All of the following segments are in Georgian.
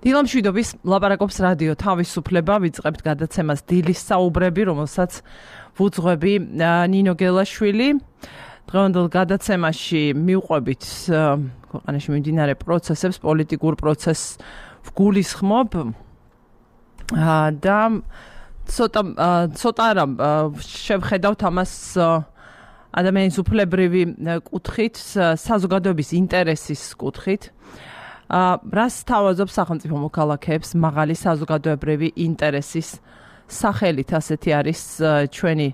დილამშვიდობის ლაპარაკობს რადიო თავისუფლება, ვიწყებთ გადაცემას დილის საუბრები, რომელსაც ვუძღვები ნინო გელაშვილი. დღევანდელ გადაცემაში მივყვებით ქვეყანაში მიმდინარე პროცესებს, პოლიტიკურ პროცესს ვგულისხმობ და ცოტა შევხედავთ ამას ადამიანის უფლებრივი კუთხით, საზოგადოების ინტერესის კუთხით. რას თავაზობს სახელმწიფო მოქალაქეებს მაღალი საზოგადოებრივი ინტერესის სახელით, ასეთი არის ჩვენი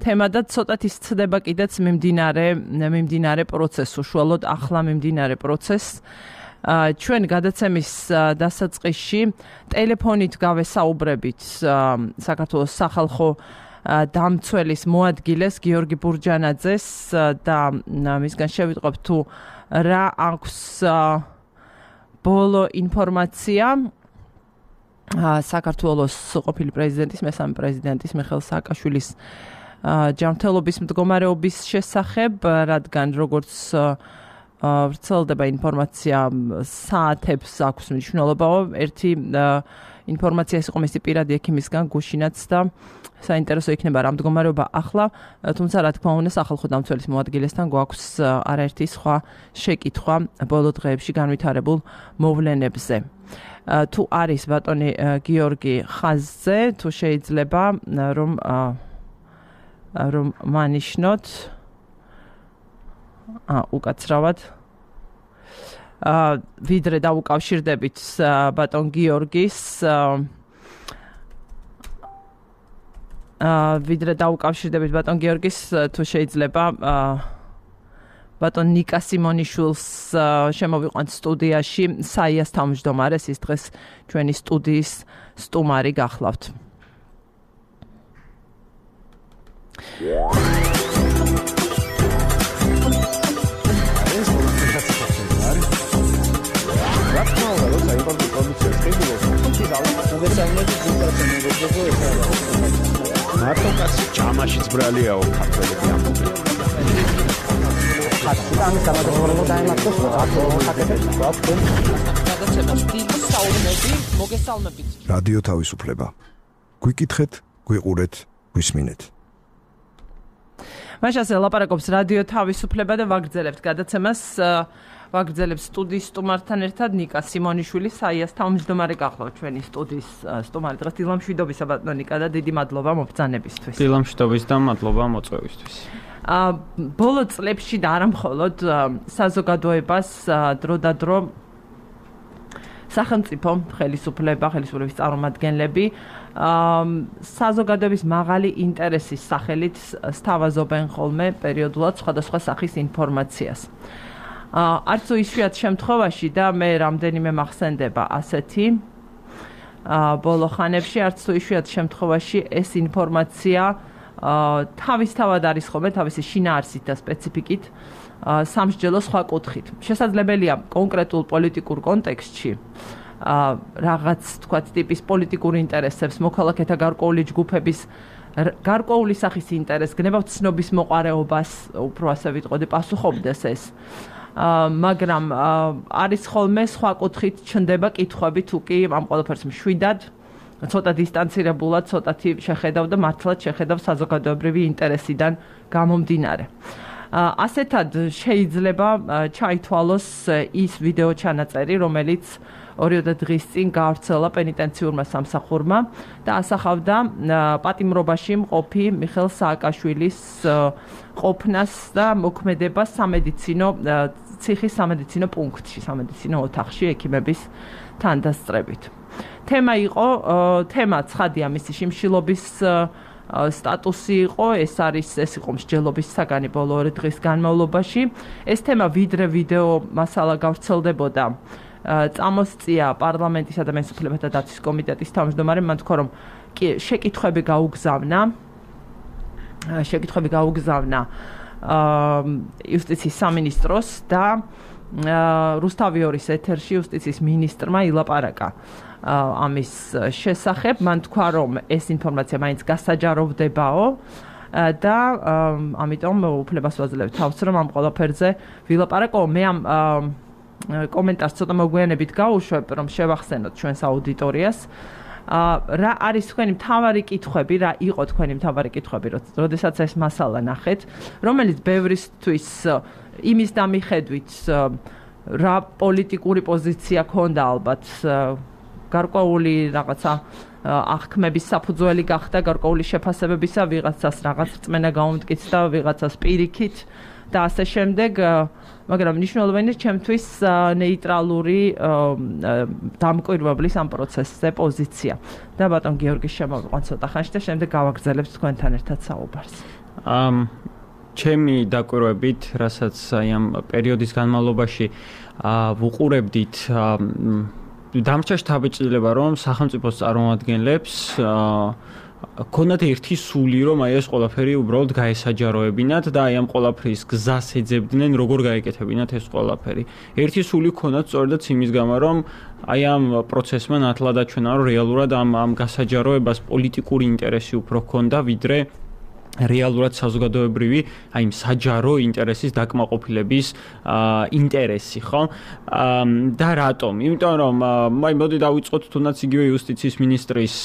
თემა და ცოტათი სცდება კიდეც მიმდინარე პროცესს, უშუალოდ ახლა მიმდინარე პროცესს. ჩვენ გადაცემის დასაწყისში ტელეფონით გავესაუბრებით საქართველოს სახალხო დამცველის მოადგილეს გიორგი ბურჯანაძეს და მისგან შევიტყობ თუ რა აქვს ბოლო ინფორმაცია საქართველოს ყოფილი პრეზიდენტის, მესამე პრეზიდენტის მიხეილ სააკაშვილის ჯანმრთელობის მდგომარეობის შესახებ, რადგან როგორც ვრცელდება ინფორმაცია საათებს აქვს მნიშვნელობა, ერთი ინფორმაცია ის იყო მისი პირადი ექიმისგან გუშინაც და საინტერესო იქნება რა მდგომარეობა ახლა, თუმცა რა თქმა უნდა სახალხო დამცველის მოადგილესთან გვაქვს არაერთი სხვა შეკითხვა ბოლო დღეებში განვითარებულ მოვლენებზე. თუ არის ბატონი გიორგი ხაზზე, თუ შეიძლება რომ მანიშნოთ უკაცრავად ვიდრე დავუკავშირდებით ბატონ გიორგის თუ შეიძლება ბატონ ნიკა სიმონიშვილს შემოვიყვანთ სტუდიაში, საიას თავმჯდომარეს, ის დღეს ჩვენი სტუდიის სტუმარი გახლავთ. მარტო კაცი ჯამაშიც ბრალიაო ქართველები ამბობენ. რადიო თავისუფლება. გვიკითხეთ, გვიყურეთ, გვისმინეთ. მაშასე ლაპარაკობს რადიო თავისუფლება და ვაგრძელებთ გადაცემას. ვაგრძელებს სტუდიის სტუმართან ერთად ნიკა სიმონიშვილი, საიას თავმჯდომარე გახლავთ ჩვენი სტუდიის სტუმარი. დღეს დილამშვიდობისა ბატონო ნიკა და დიდი მადლობა მობრძანებისთვის. დილამშვიდობის და მადლობა მოწვევისთვის. ბოლო წლებში და არა მხოლოდ საზოგადოებას დროდადრო სახელმწიფო ხელისუფლების წარმომადგენლები საზოგადოების მაღალი ინტერესის სახელით სთავაზობენ ხოლმე პერიოდულად სხვადასხვა სახის ინფორმაციას. არც იშვიათ შემთხვევაში და მე რამდენიმე მახსენდება ასეთი ბოლო ხანებში, არც იშვიათ შემთხვევაში ეს ინფორმაცია თავისთავად არის ხოლმე თავისი შინაარსით და სპეციფიკით სამსჯელო სხვა კუთხით. შესაძლებელია კონკრეტულ პოლიტიკურ კონტექსტში რაღაც თქვათ ტიპის პოლიტიკურ ინტერესებს, მოქალაქეთა გარკვეული ჯგუფების გარკვეული სახის ინტერესს, გნებავთ ცნობის მოყარეობას, უფრო ასე ვიტყოდი, პასუხობდეს ეს. მაგრამ არის ხოლმე სხვა კუთხით ჩნდება კითხვები თუ კი ამ ყველაფერს მშვიდად, ცოტა დისტანცირებულად, ცოტათი შეხედავ და მართლაც შეხედავ საზოგადოებრივი ინტერესიდან გამომდინარე. ასეთად შეიძლება ჩაითვალოს ის ვიდეო ჩანაწერი, რომელიც 2 დღის წინ გაავრცელა პენიტენციურმა სამსახურმა და ასახავდა პატიმრობაში მყოფი მიხეილ სააკაშვილის ყოფნას და მოქმედებას ციხის სამედიცინო პუნქტში, სამედიცინო ოთახში ექიმების თანდასწრებით. თემა ცხადია მისი შიმშილობის სტატუსი იყო, ეს იყო მსჯელობის საგანი ბოლო 2 დღის განმავლობაში. ეს თემა ვიდრე ვიდეო მასალა გავრცელდებოდა წამოსწია პარლამენტის ადამიანის უფლებათა დაცვის კომიტეტის თავმჯდომარემ, მან თქვა, რომ შეკითხვები გაუგზავნა იუსტიციის სამინისტროს და რუსთავიორის ეთერში იუსტიციის მინისტრმა ილაპარაკა ამის შესახებ. მან თქვა, რომ ეს ინფორმაცია მაინც გასაჯაროვდებაო და ამიტომ უფლებას ვაძლევ თავს, რომ ამ ყველაფერზე ვილაპარაკო. მე ამ კომენტარს ცოტა მოგვიანებით გავუშვებ, რომ შევახსენოთ ჩვენს აუდიტორიას. რა არის თქვენი მთავარი კითხვები, რა იყო თქვენი მთავარი კითხვები, როდესაც ეს მასალა ნახეთ, რომელიც ბევრისთვის იმის დამიხედვით რა პოლიტიკური პოზიცია ქონდა ალბათ გარკვეული რაღაცა აღქმების საფუძველი გახდა გარკვეული შეფასებებისა, ვიღაცას რაღაც რწმენა გაუმტკიცდა, ვიღაცას პირიქით და ასე შემდეგ, მაგრამ მნიშვნელოვანია ჩემთვის ნეიტრალური დამკვირვებლის ამ პროცესზე პოზიცია. და ბატონ გიორგის შემოვიყვან ცოტა ხანში და შემდეგ გავაგრძელებთ თქვენთან ერთად საუბარს. ჩემი დაკვირვებით, რასაც აი ამ პერიოდის განმავლობაში ვუყურებდით დამრჩა შთაბეჭდილება, რომ სახელმწიფოს წარმომადგენლებს ქონდათ ერთი სული, რომ აი ეს ყველაფერი უბრალოდ გაესაჯაროებინათ და აი ამ ყველაფრის გზას ეძებდნენ, როგორ გაეკეთებინათ ეს ყველაფერი. ერთი სული ქონდათ სწორედაც იმის გამო, რომ აი ამ პროცესმა ნათლად აჩვენა, რომ რეალურად ამ გასაჯაროებას პოლიტიკური ინტერესი უფრო ჰქონდა, ვიდრე რეალურად საზოგადოებრივი, აი საჯარო ინტერესის დაკმაყოფილების ინტერესი, ხო? და რატომ? იმიტომ რომ აი მოდი დავიწყოთ თუნდაც იგივე იუსტიციის მინისტრის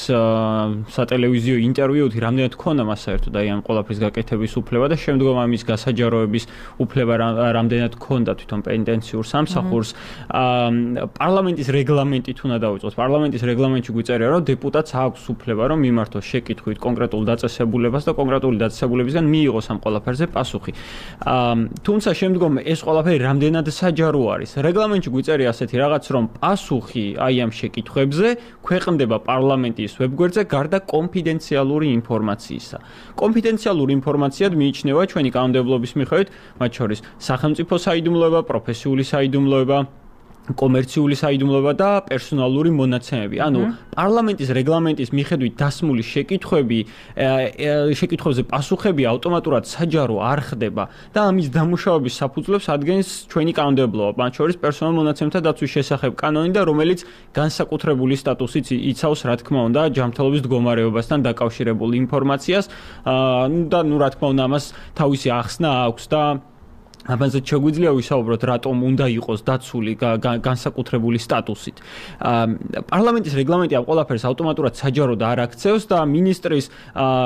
სატელევიზიო ინტერვიუთი, რამდენად ქონდა მას საერთოდ აი ამ ყველაფრის გაკეთების უფლება და შემდგომ ამის გასაჯაროების უფლება რამდენად ქონდა თვითონ პენტენციურ სამსახურს. პარლამენტის რეგლამენტით უნდა დავიწყოთ. პარლამენტის რეგლამენტში გვიწერია, რომ დეპუტატს აქვს უფლება, რომ მიმართოს შეკითხვით კონკრეტულ დაწესებულებას და კონკრეტული დაწესებულებისგან მიიღოს ამ ყველაფერზე პასუხი. თუმცა შემდგომ ეს ყველაფერი რამდენად საჯარო არის. რეგლამენტში გვიწერია ასეთი რაღაც, რომ პასუხი აი ამ შეკითხვებზე ქვეყნდება პარლამენტის ვებგვერდზე გარდა კონფიდენციალური ინფორმაციისა. კონფიდენციალური ინფორმაციად მიიჩნევა ჩვენი კანონმდებლობის მიხედვით, მათ შორის სახელმწიფო საიდუმლოება, პროფესიული საიდუმლოება, კომერციული საიდუმლოება და პერსონალური მონაცემები. ანუ პარლამენტის რეგლამენტის მიხედვით დასმული შეკითხვებზე პასუხები ავტომატურად საჯარო არ ხდება და ამის დამუშავების საფუძვლებს ადგენს ჩვენი კანონმდებლობა, მათ შორის პერსონალურ მონაცემთა დაცვის შესახებ კანონი და რომელიც განსაკუთრებული სტატუსით იცავს, რა თქმა უნდა, ჯანმრთელობის მდგომარეობასთან დაკავშირებულ ინფორმაციას და რა თქმა უნდა ამას თავისი ახსნა აქვს და ამაზე შეგვიძლია ვისაუბროთ, რატომ უნდა იყოს დაცული განსაკუთრებული სტატუსით. პარლამენტის რეგლამენტი ამ ყველაფერს ავტომატურად საჯაროდ არ აქცევს და მინისტრის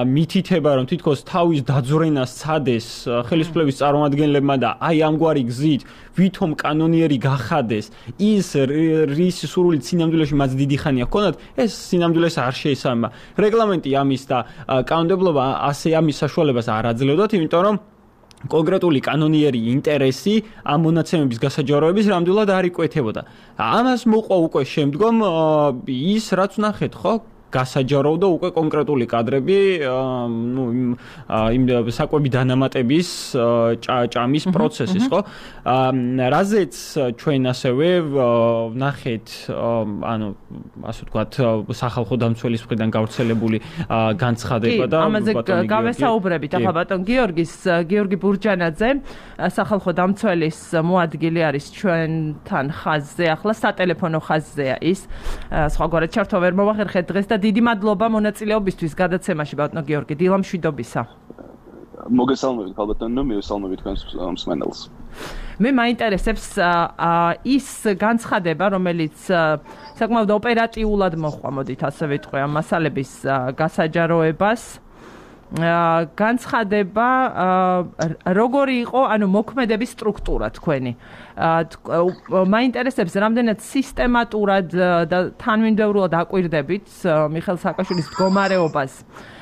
მითითება, რომ თითქოს თავის დაძვრენას სცადეს ხელისუფლების წარმომადგენლებმა და აი ამგვარი გზით ვითომ კანონიერი გახადეს ის რის სურვილით სინამდვილეში მას დიდი ხანია ჰქონდათ, ეს სინამდვილეს არ შეესაბამება. რეგლამენტი ამის და კანონმდებლობა ასე ამის საშუალებას არ აძლევდათ, იმიტომ რომ კონკრეტული კანონიერი ინტერესი ამ მონაცემების გასაჯაროების ნამდვილად არ იკვეთებოდა. ამას მოყვა უკვე შემდგომ ის, რაც ნახეთ, ხო? გასაჯაროვდა უკვე კონკრეტული კადრები, იმ საკვები დანამატების ჭამის პროცესის, ხო? რაზეც ჩვენ ასევე ნახეთ, ანუ ასე ვთქვათ, სახალხო დამცველის მხრიდან გავრცელებული განცხადება და ამაზე გავესაუბრებით. ახლა ბატონ გიორგი ბურჯანაძე, სახალხო დამცველის მოადგილე არის ჩვენთან ხაზზე, ახლა სატელეფონო ხაზზეა ის. სხვაგვარად ჩართვა ვერ მოვახერხეთ დღეს და დიდი მადლობა მონაწილეობისთვის გადაცემაში ბატონო გიორგი, დილამშვიდობისა. მოგესალმებით ხალბატონო, მივესალმებით თქვენს მსმენელს. მე მაინტერესებს ის განცხადება, რომელიც საკმაოდ ოპერატიულად მოხდა, მოდით ასე ვიტყვი, ამ მასალების გასაჯაროებას. განცხადება როგორი იყო, ანუ მოქმედების სტრუქტურა თქვენი. მაინტერესებს რამდენად სისტემატურად და თანმიმდევრულად აკვირდებით მიხეილ სააკაშვილის მდგომარეობას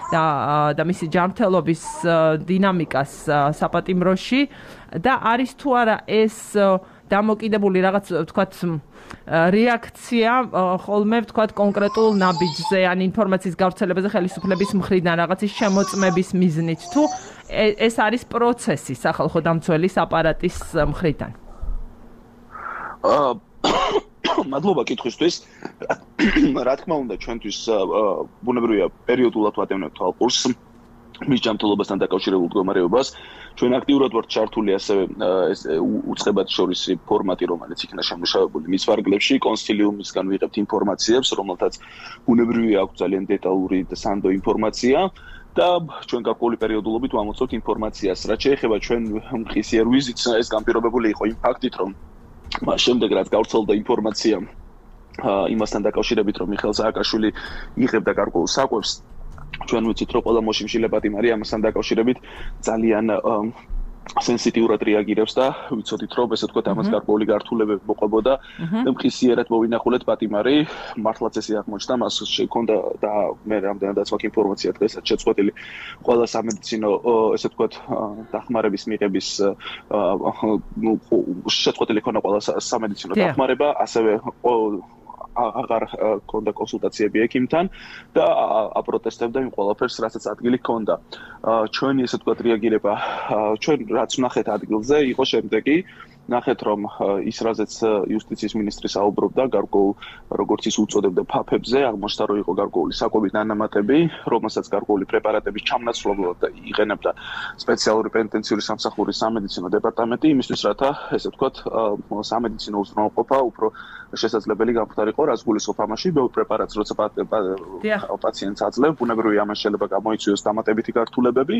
და მისი ჯანმრთელობის დინამიკას საპატიმროში და არის თუ არა ეს დამოკიდებული რაღაც ვთქვათ რეაქცია ხოლმე ვთქვათ კონკრეტულ ნაბიჯზე ან ინფორმაციის გავრცელებაზე ხელისუფლების მხრიდან რაღაცის შემოწმების მიზნით თუ ეს არის პროცესი სახალხო დამცველის აპარატის მხრიდან. მადლობა კითხვისთვის. რა თქმა უნდა ჩვენთვის ბუნებრივია პერიოდულად ვატევნებთ თვალყურს მის ჯანმრთელობასთან დაკავშირებულ მდგომარეობას. ჩვენ აქტიურად ვართ ჩართული ასევე ეს უწყებად შორისი ფორმატი, რომელიც იქნა შემუშავებული მის ვარგლებში, კონსილიუმისგან ვიღებთ ინფორმაციებს, რომელთაც ბუნებრივია აქვს ძალიან დეტალური და სანდო ინფორმაცია. და ჩვენ გარკვეული პერიოდულობით ვამოწევთ ინფორმაციას. რაც შეეხება ჩვენ მხისიერ ვიზიტს, ეს განპირობებული იყო იმ ფაქტით, რომ მას შემდეგ რაც გავრცელდა ინფორმაცია იმასთან დაკავშირებით, რომ მიხეილ სააკაშვილი იღებდა გარკვეულ საკვებს, ჩვენ ვიცით, რომ ყველა მოშიმშილე პატიმარი ამასთან დაკავშირებით ძალიან სენსიტიურად რეაგირებს და ვიცოდით, რომ ესე ვთქვათ, ამას გარკვეული გართულებები მოყვებოდა და მხისიერად მოვინახულეთ პატიმარი, მართლაც ესე აღმოჩნდა, მას შექონდა და მე რამდენადაც მაქვს ინფორმაცია დღესაც შეწყვეტილი ყველა სამედიცინო ესე ვთქვათ, დახმარების მიღების შეწყვეტილი ქონა ყველა სამედიცინო დახმარება, ასევე აღარ ქონდა კონსულტაციები ექიმთან და აპროტესტებდა იმ ყველაფერს, რასაც ადგილი ჰქონდა. ჩვენი ესე ვთქვათ რეაგირება, ჩვენ რაც ვნახეთ ადგილზე, იყო შემდეგი, ნახეთ რომ ის რაზეც იუსტიციის მინისტრი საუბრობდა გარკვეულ როგორც ის უწოდებდა ფაფებზე, აღმოჩნდა რომ იყო გარკვეული საკვები დანამატები, რომელსაც გარკვეული პრეპარატების ჩამნაცვლებლად იყენებდა სპეციალური პენიტენციური სამსახურის სამედიცინო დეპარტამენტი, იმისთვის რათა ესე ვთქვათ სამედიცინო უზრუნველყოფა უფრო შესაძლებელი გამხდარიყო, რაც გულისხმობს ამაში, ბევრ პრეპარატს როცა პაციენტს აძლევ, ბუნებრივია ამას შეიძლება გამოიწვიოს დამატებითი გართულებები,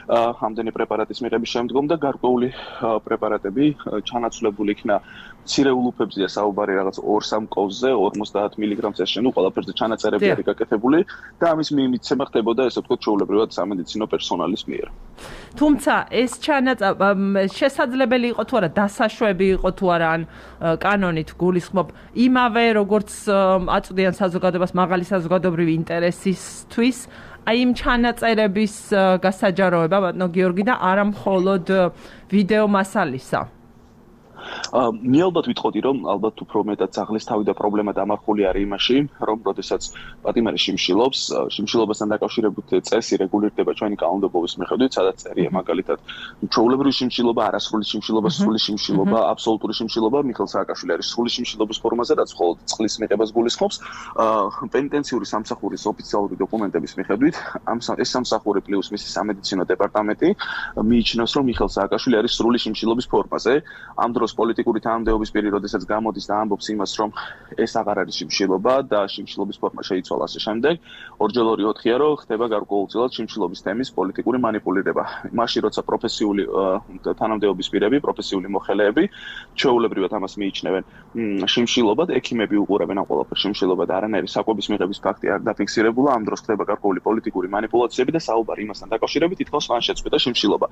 ამდენი პრეპარატის მიღების შემდგომ და გარკვეული პრეპარატები ჩანაცვლებული იქნა მცირეულ უფებზეა საუბარი რაღაც 2-3 კოვზე 50 მგ-ს შენუ ყველაფერზე ჩანაწერები არის გაკეთებული და ამის მიმიცემა ხდებოდა ესე ვთქვათ ჩვეულებრივად სამედიცინო პერსონალის მიერ. თუმცა ეს შესაძლებელი იყო თუ არა დასაშვები იყო თუ არა ან კანონით გულისხმობ იმავე როგორც აწვდიან საზოგადოებას მაღალი საზოგადოებრივი ინტერესისთვის აი იმ ჩანაწერების გასაჯაროება ბატონო გიორგი და არა მხოლოდ ვიდეო მასალისა. მე ალბათ ვიტყოდი რომ ალბათ უფრო მეტად ძაღლის თავი და პრობლემა დამარხული არის იმაში რომ როდესაც პატიმარი შიმშილობასთან დაკავშირებით წესი რეგულირდება ჩვენი კანონმდებლობის მიხედვით სადაც წერია მაგალითად ჩვეულებრივი შიმშილობა არასრული შიმშილობა სრული შიმშილობა აბსოლუტური შიმშილობა მიხეილ სააკაშვილი არის სრული შიმშილობის ფორმაზე რაც მხოლოდ წყლის მიღებას გულისხმობს პენიტენციური სამსახურის ოფიციალური დოკუმენტების მიხედვით ეს სამსახური პლუს მისი სამედიცინო დეპარტამენტი მიიჩნევს რომ მიხეილ სააკაშვილი არის სრული შიმშილობის ფორმაზე ამ დროს პოლიტიკური თანამდებობის პირი, როდესაც გამოდის და ამბობს იმას, რომ ეს აღარ არის შიმშილობა და შიმშილობის ფორმა შეიცვალა ასე შემდეგ, ორჯერ 2-4-ია, რომ ხდება გარკვეულწილად შიმშილობის თემის პოლიტიკური манипуლირება. მაშინ როცა პროფესიული თანამდებობის პირები, პროფესიული მოხელეები ჩვეულებრივად ამას მიიჩნევენ შიმშილობად, ექიმები უყურებენ ამ ყველაფერს შიმშილობად, არანაირი საკვების მიღების ფაქტი არ დაფიქსირებულა, ამ დროს ხდება გარკვეული პოლიტიკური манипуლაციები და საუბარი იმასთან დაკავშირებით ითხოვს მან შეწყვიტა შიმშილობა.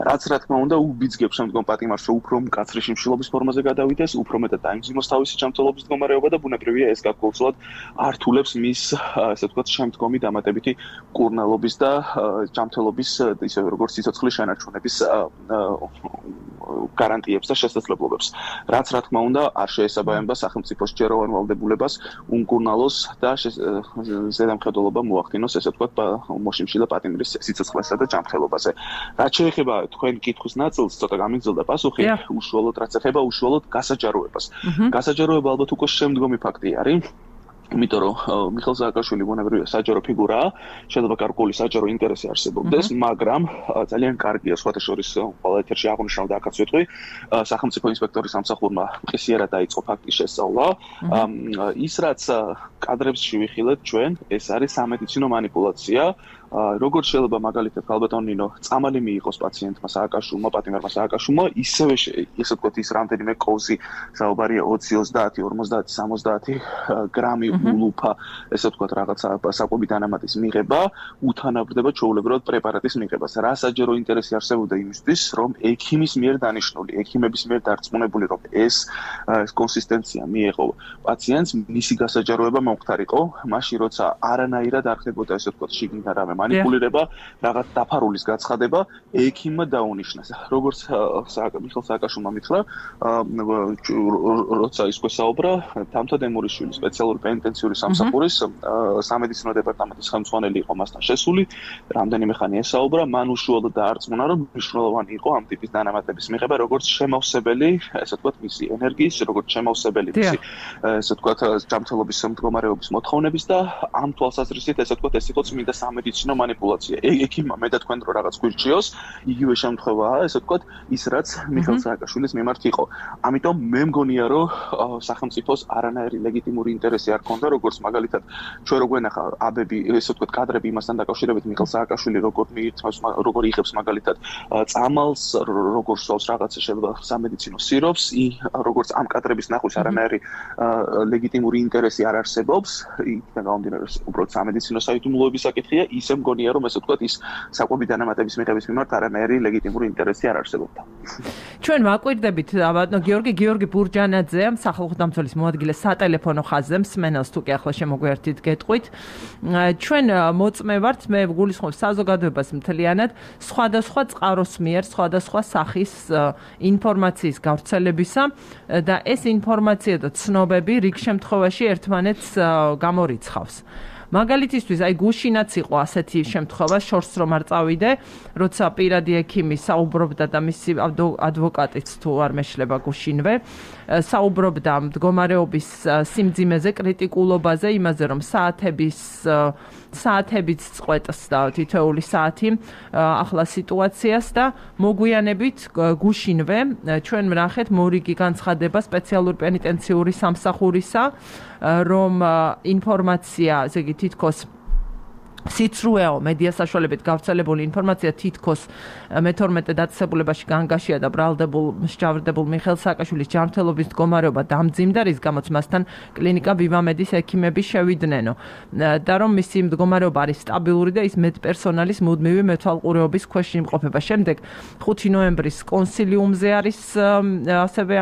რაც რა თქმა უნდა უბიძგებს შემდგომ პატიმარს, რომ უფრო მკაცრი შიმშილობის ფორმაზე გადავიდეს, უფრო მეტად დაიმძიმოს თავისი ჯანმრთელობის მდგომარეობა და ბუნებრივია ეს გარკვეულწილად ართულებს მის ასე ვთქვათ შემდგომი დამატებითი კურნალობის და ჯანმრთელობის ისე როგორც სიცოცხლის შენარჩუნების გარანტიებს და შესაძლებლობებს. რაც რა თქმა უნდა არ შეესაბამება სახელმწიფოს ჯეროვან ვალდებულებას უმკურნალოს და ზედამხედველობა მოახდინოს ესე ვთქვათ მოშიმშილე პატიმრის სიცოცხლესა და ჯანმრთელობაზე. რაც შეეხება თქვენ კითხვის ნაწილს, ცოტა გამიგზელდა პასუხი, უშუალოდ რაც ეხება უშუალოდ გასაჯაროებას. გასაჯაროება ალბათ უკვე შემდგომი ფაქტი არის. იმიტომ რომ მიხეილ სააკაშვილი ბუნებრივია საჯარო ფიგურაა, შეიძლება გარკვეული საჯარო ინტერესი არსებობდეს, მაგრამ ძალიან კარგია სხვათა შორის ყველა ეთერში აღნიშნავდა აქაც ვიტყვი, სახელმწიფო ინსპექტორის სამსახურმა მყისიერად დაიწყო ფაქტის შესწავლა. ის რაც კადრებს შევიხილეთ ჩვენ, ეს არის სამედიცინო манипуლაცია. როგორც შეიძლება მაგალითად ქალბატონინო წამალი მიიღოს პაციენტმა სააკაშვილმა, პატიმარმა სააკაშვილმა, ისევე ესე ვთქვათ ის რამდენიმე კოვზი საუბარია 20, 30, 50, 60 გრამი ულუფა, ესე ვთქვათ რაღაცა საკვები დანამატის მიღება, უთანაბრდება ჩვეულებრივად პრეპარატის მიღებას. რა საჯარო ინტერესი არსებობდა იმისთვის, რომ ექიმის მიერ დანიშნული, ექიმების მიერ დარწმუნებული, რომ ეს კონსისტენცია მიეღო პაციენტს, მისი გასაჯაროება მომხდარიყო, მაშინ როცა არანაირად არ ხდებოდა ესე ვთქვათ შიგნითა რამე манипуლირება, რაღაც დაფარულის გაცხადება, ექიმმა დაუნიშნეს. როგორც მიხეილ სააკაშვილმა მითხრა, როცა ის გვესაუბრა, თამთა დემურიშვილი სპეციალური პენიტენციური სამსახურის სამედიცინო დეპარტამენტის ხელმძღვანელი იყო მასთან შესული, რამდენიმე ხანი ესაუბრა, მან უშუალოდ დაარწმუნა, რომ მნიშვნელოვანი იყო ამ ტიპის დანამატების მიღება, როგორც შემავსებელი, ესე ვთქვათ, მისი ენერგიის, როგორც შემავსებელი მისი, ესე ვთქვათ, ჯანმრთელობის მდგომარეობის მოთხოვნების და ამ თვალსაზრისით, ესე ვთქვათ, ეს იყო წმინდა სამედიცინო იქნება манипуляცია. ექიმმა მე და თქვენ რო რაღაც გვირჩიოს, იგივე შემთხვევაა, ესე ვთქვათ, ის რაც მიხეილ სააკაშვილის მიმართ იყო. ამიტომ მე მგონია, რომ სახელმწიფოს არანაირი ლეგიტიმური ინტერესი არ ქონდა, როგორც მაგალითად ჩვენ რო გვენახა აბები, ესე ვთქვათ, კადრები იმასთან დაკავშირებით მიხეილ სააკაშვილი როგორ იღებს მაგალითად წამალს, როგორ სვავს რაღაცა შეიძლება სამედიცინო სიროფს, როგორც ამ კადრების ნახვის არანაირი ლეგიტიმური ინტერესი არ არსებობს, იქიდან გამომდინარე, უბრალოდ სამედიცინო საიდუმლოების საკითხია, ისე მგონია, რომ ესე ვთქვათ, ის საკვები დანამატების მიღების მიმართ არანაირი ლეგიტიმური ინტერესი არ არსებობდა. ჩვენ ვაკვირდებით ბატონო გიორგი ბურჯანაძე, სახალხო დამცველის მოადგილე სატელეფონო ხაზზე, მსმენელს თუ კი ახლა შემოგვიერთით გეტყვით. ჩვენ მოწმე ვართ, მე გულისხმობ საზოგადოებას მთლიანად სხვადასხვა წყაროს მიერ, სხვადასხვა სახის ინფორმაციის გავრცელებისა და ეს ინფორმაცია და ცნობები რიგ შემთხვევაში ერთმანეთს გამორიცხავს. მაგალითისთვის, აი გუშინაც იყო ასეთი შემთხვევა, შორს რომ არ წავიდე, როცა პირადი ექიმი საუბრობდა და მისი ადვოკატიც თუ არ მეშლება გუშინვე, საუბრობდა მდგომარეობის სიმძიმეზე, კრიტიკულობაზე, იმაზე რომ საათებით წყვეტს და თითოეული საათი ახლა სიტუაციას და მოგვიანებით გუშინვე ჩვენ ვნახეთ მორიგი განცხადება სპეციალური პენიტენციური სამსახურისა, რომ ინფორმაცია, ესე იგი თითქოს სიცრუეო მედია საშუალებით გავრცელებული ინფორმაცია თითქოს მე-12 დაწესებულებაში განგაშია და მსჯავრდებულ მიხეილ სააკაშვილის ჯანმრთელობის მდგომარეობა დამძიმდა, რის გამოც მასთან კლინიკა ვივამედის ექიმები შევიდნენ და რომ მისი მდგომარეობა არის სტაბილური და ის მედპერსონალის მუდმივი მეთვალყურეობის ქვეშ იმყოფება. შემდეგ 5 ნოემბრის კონსილიუმზე არის ასევე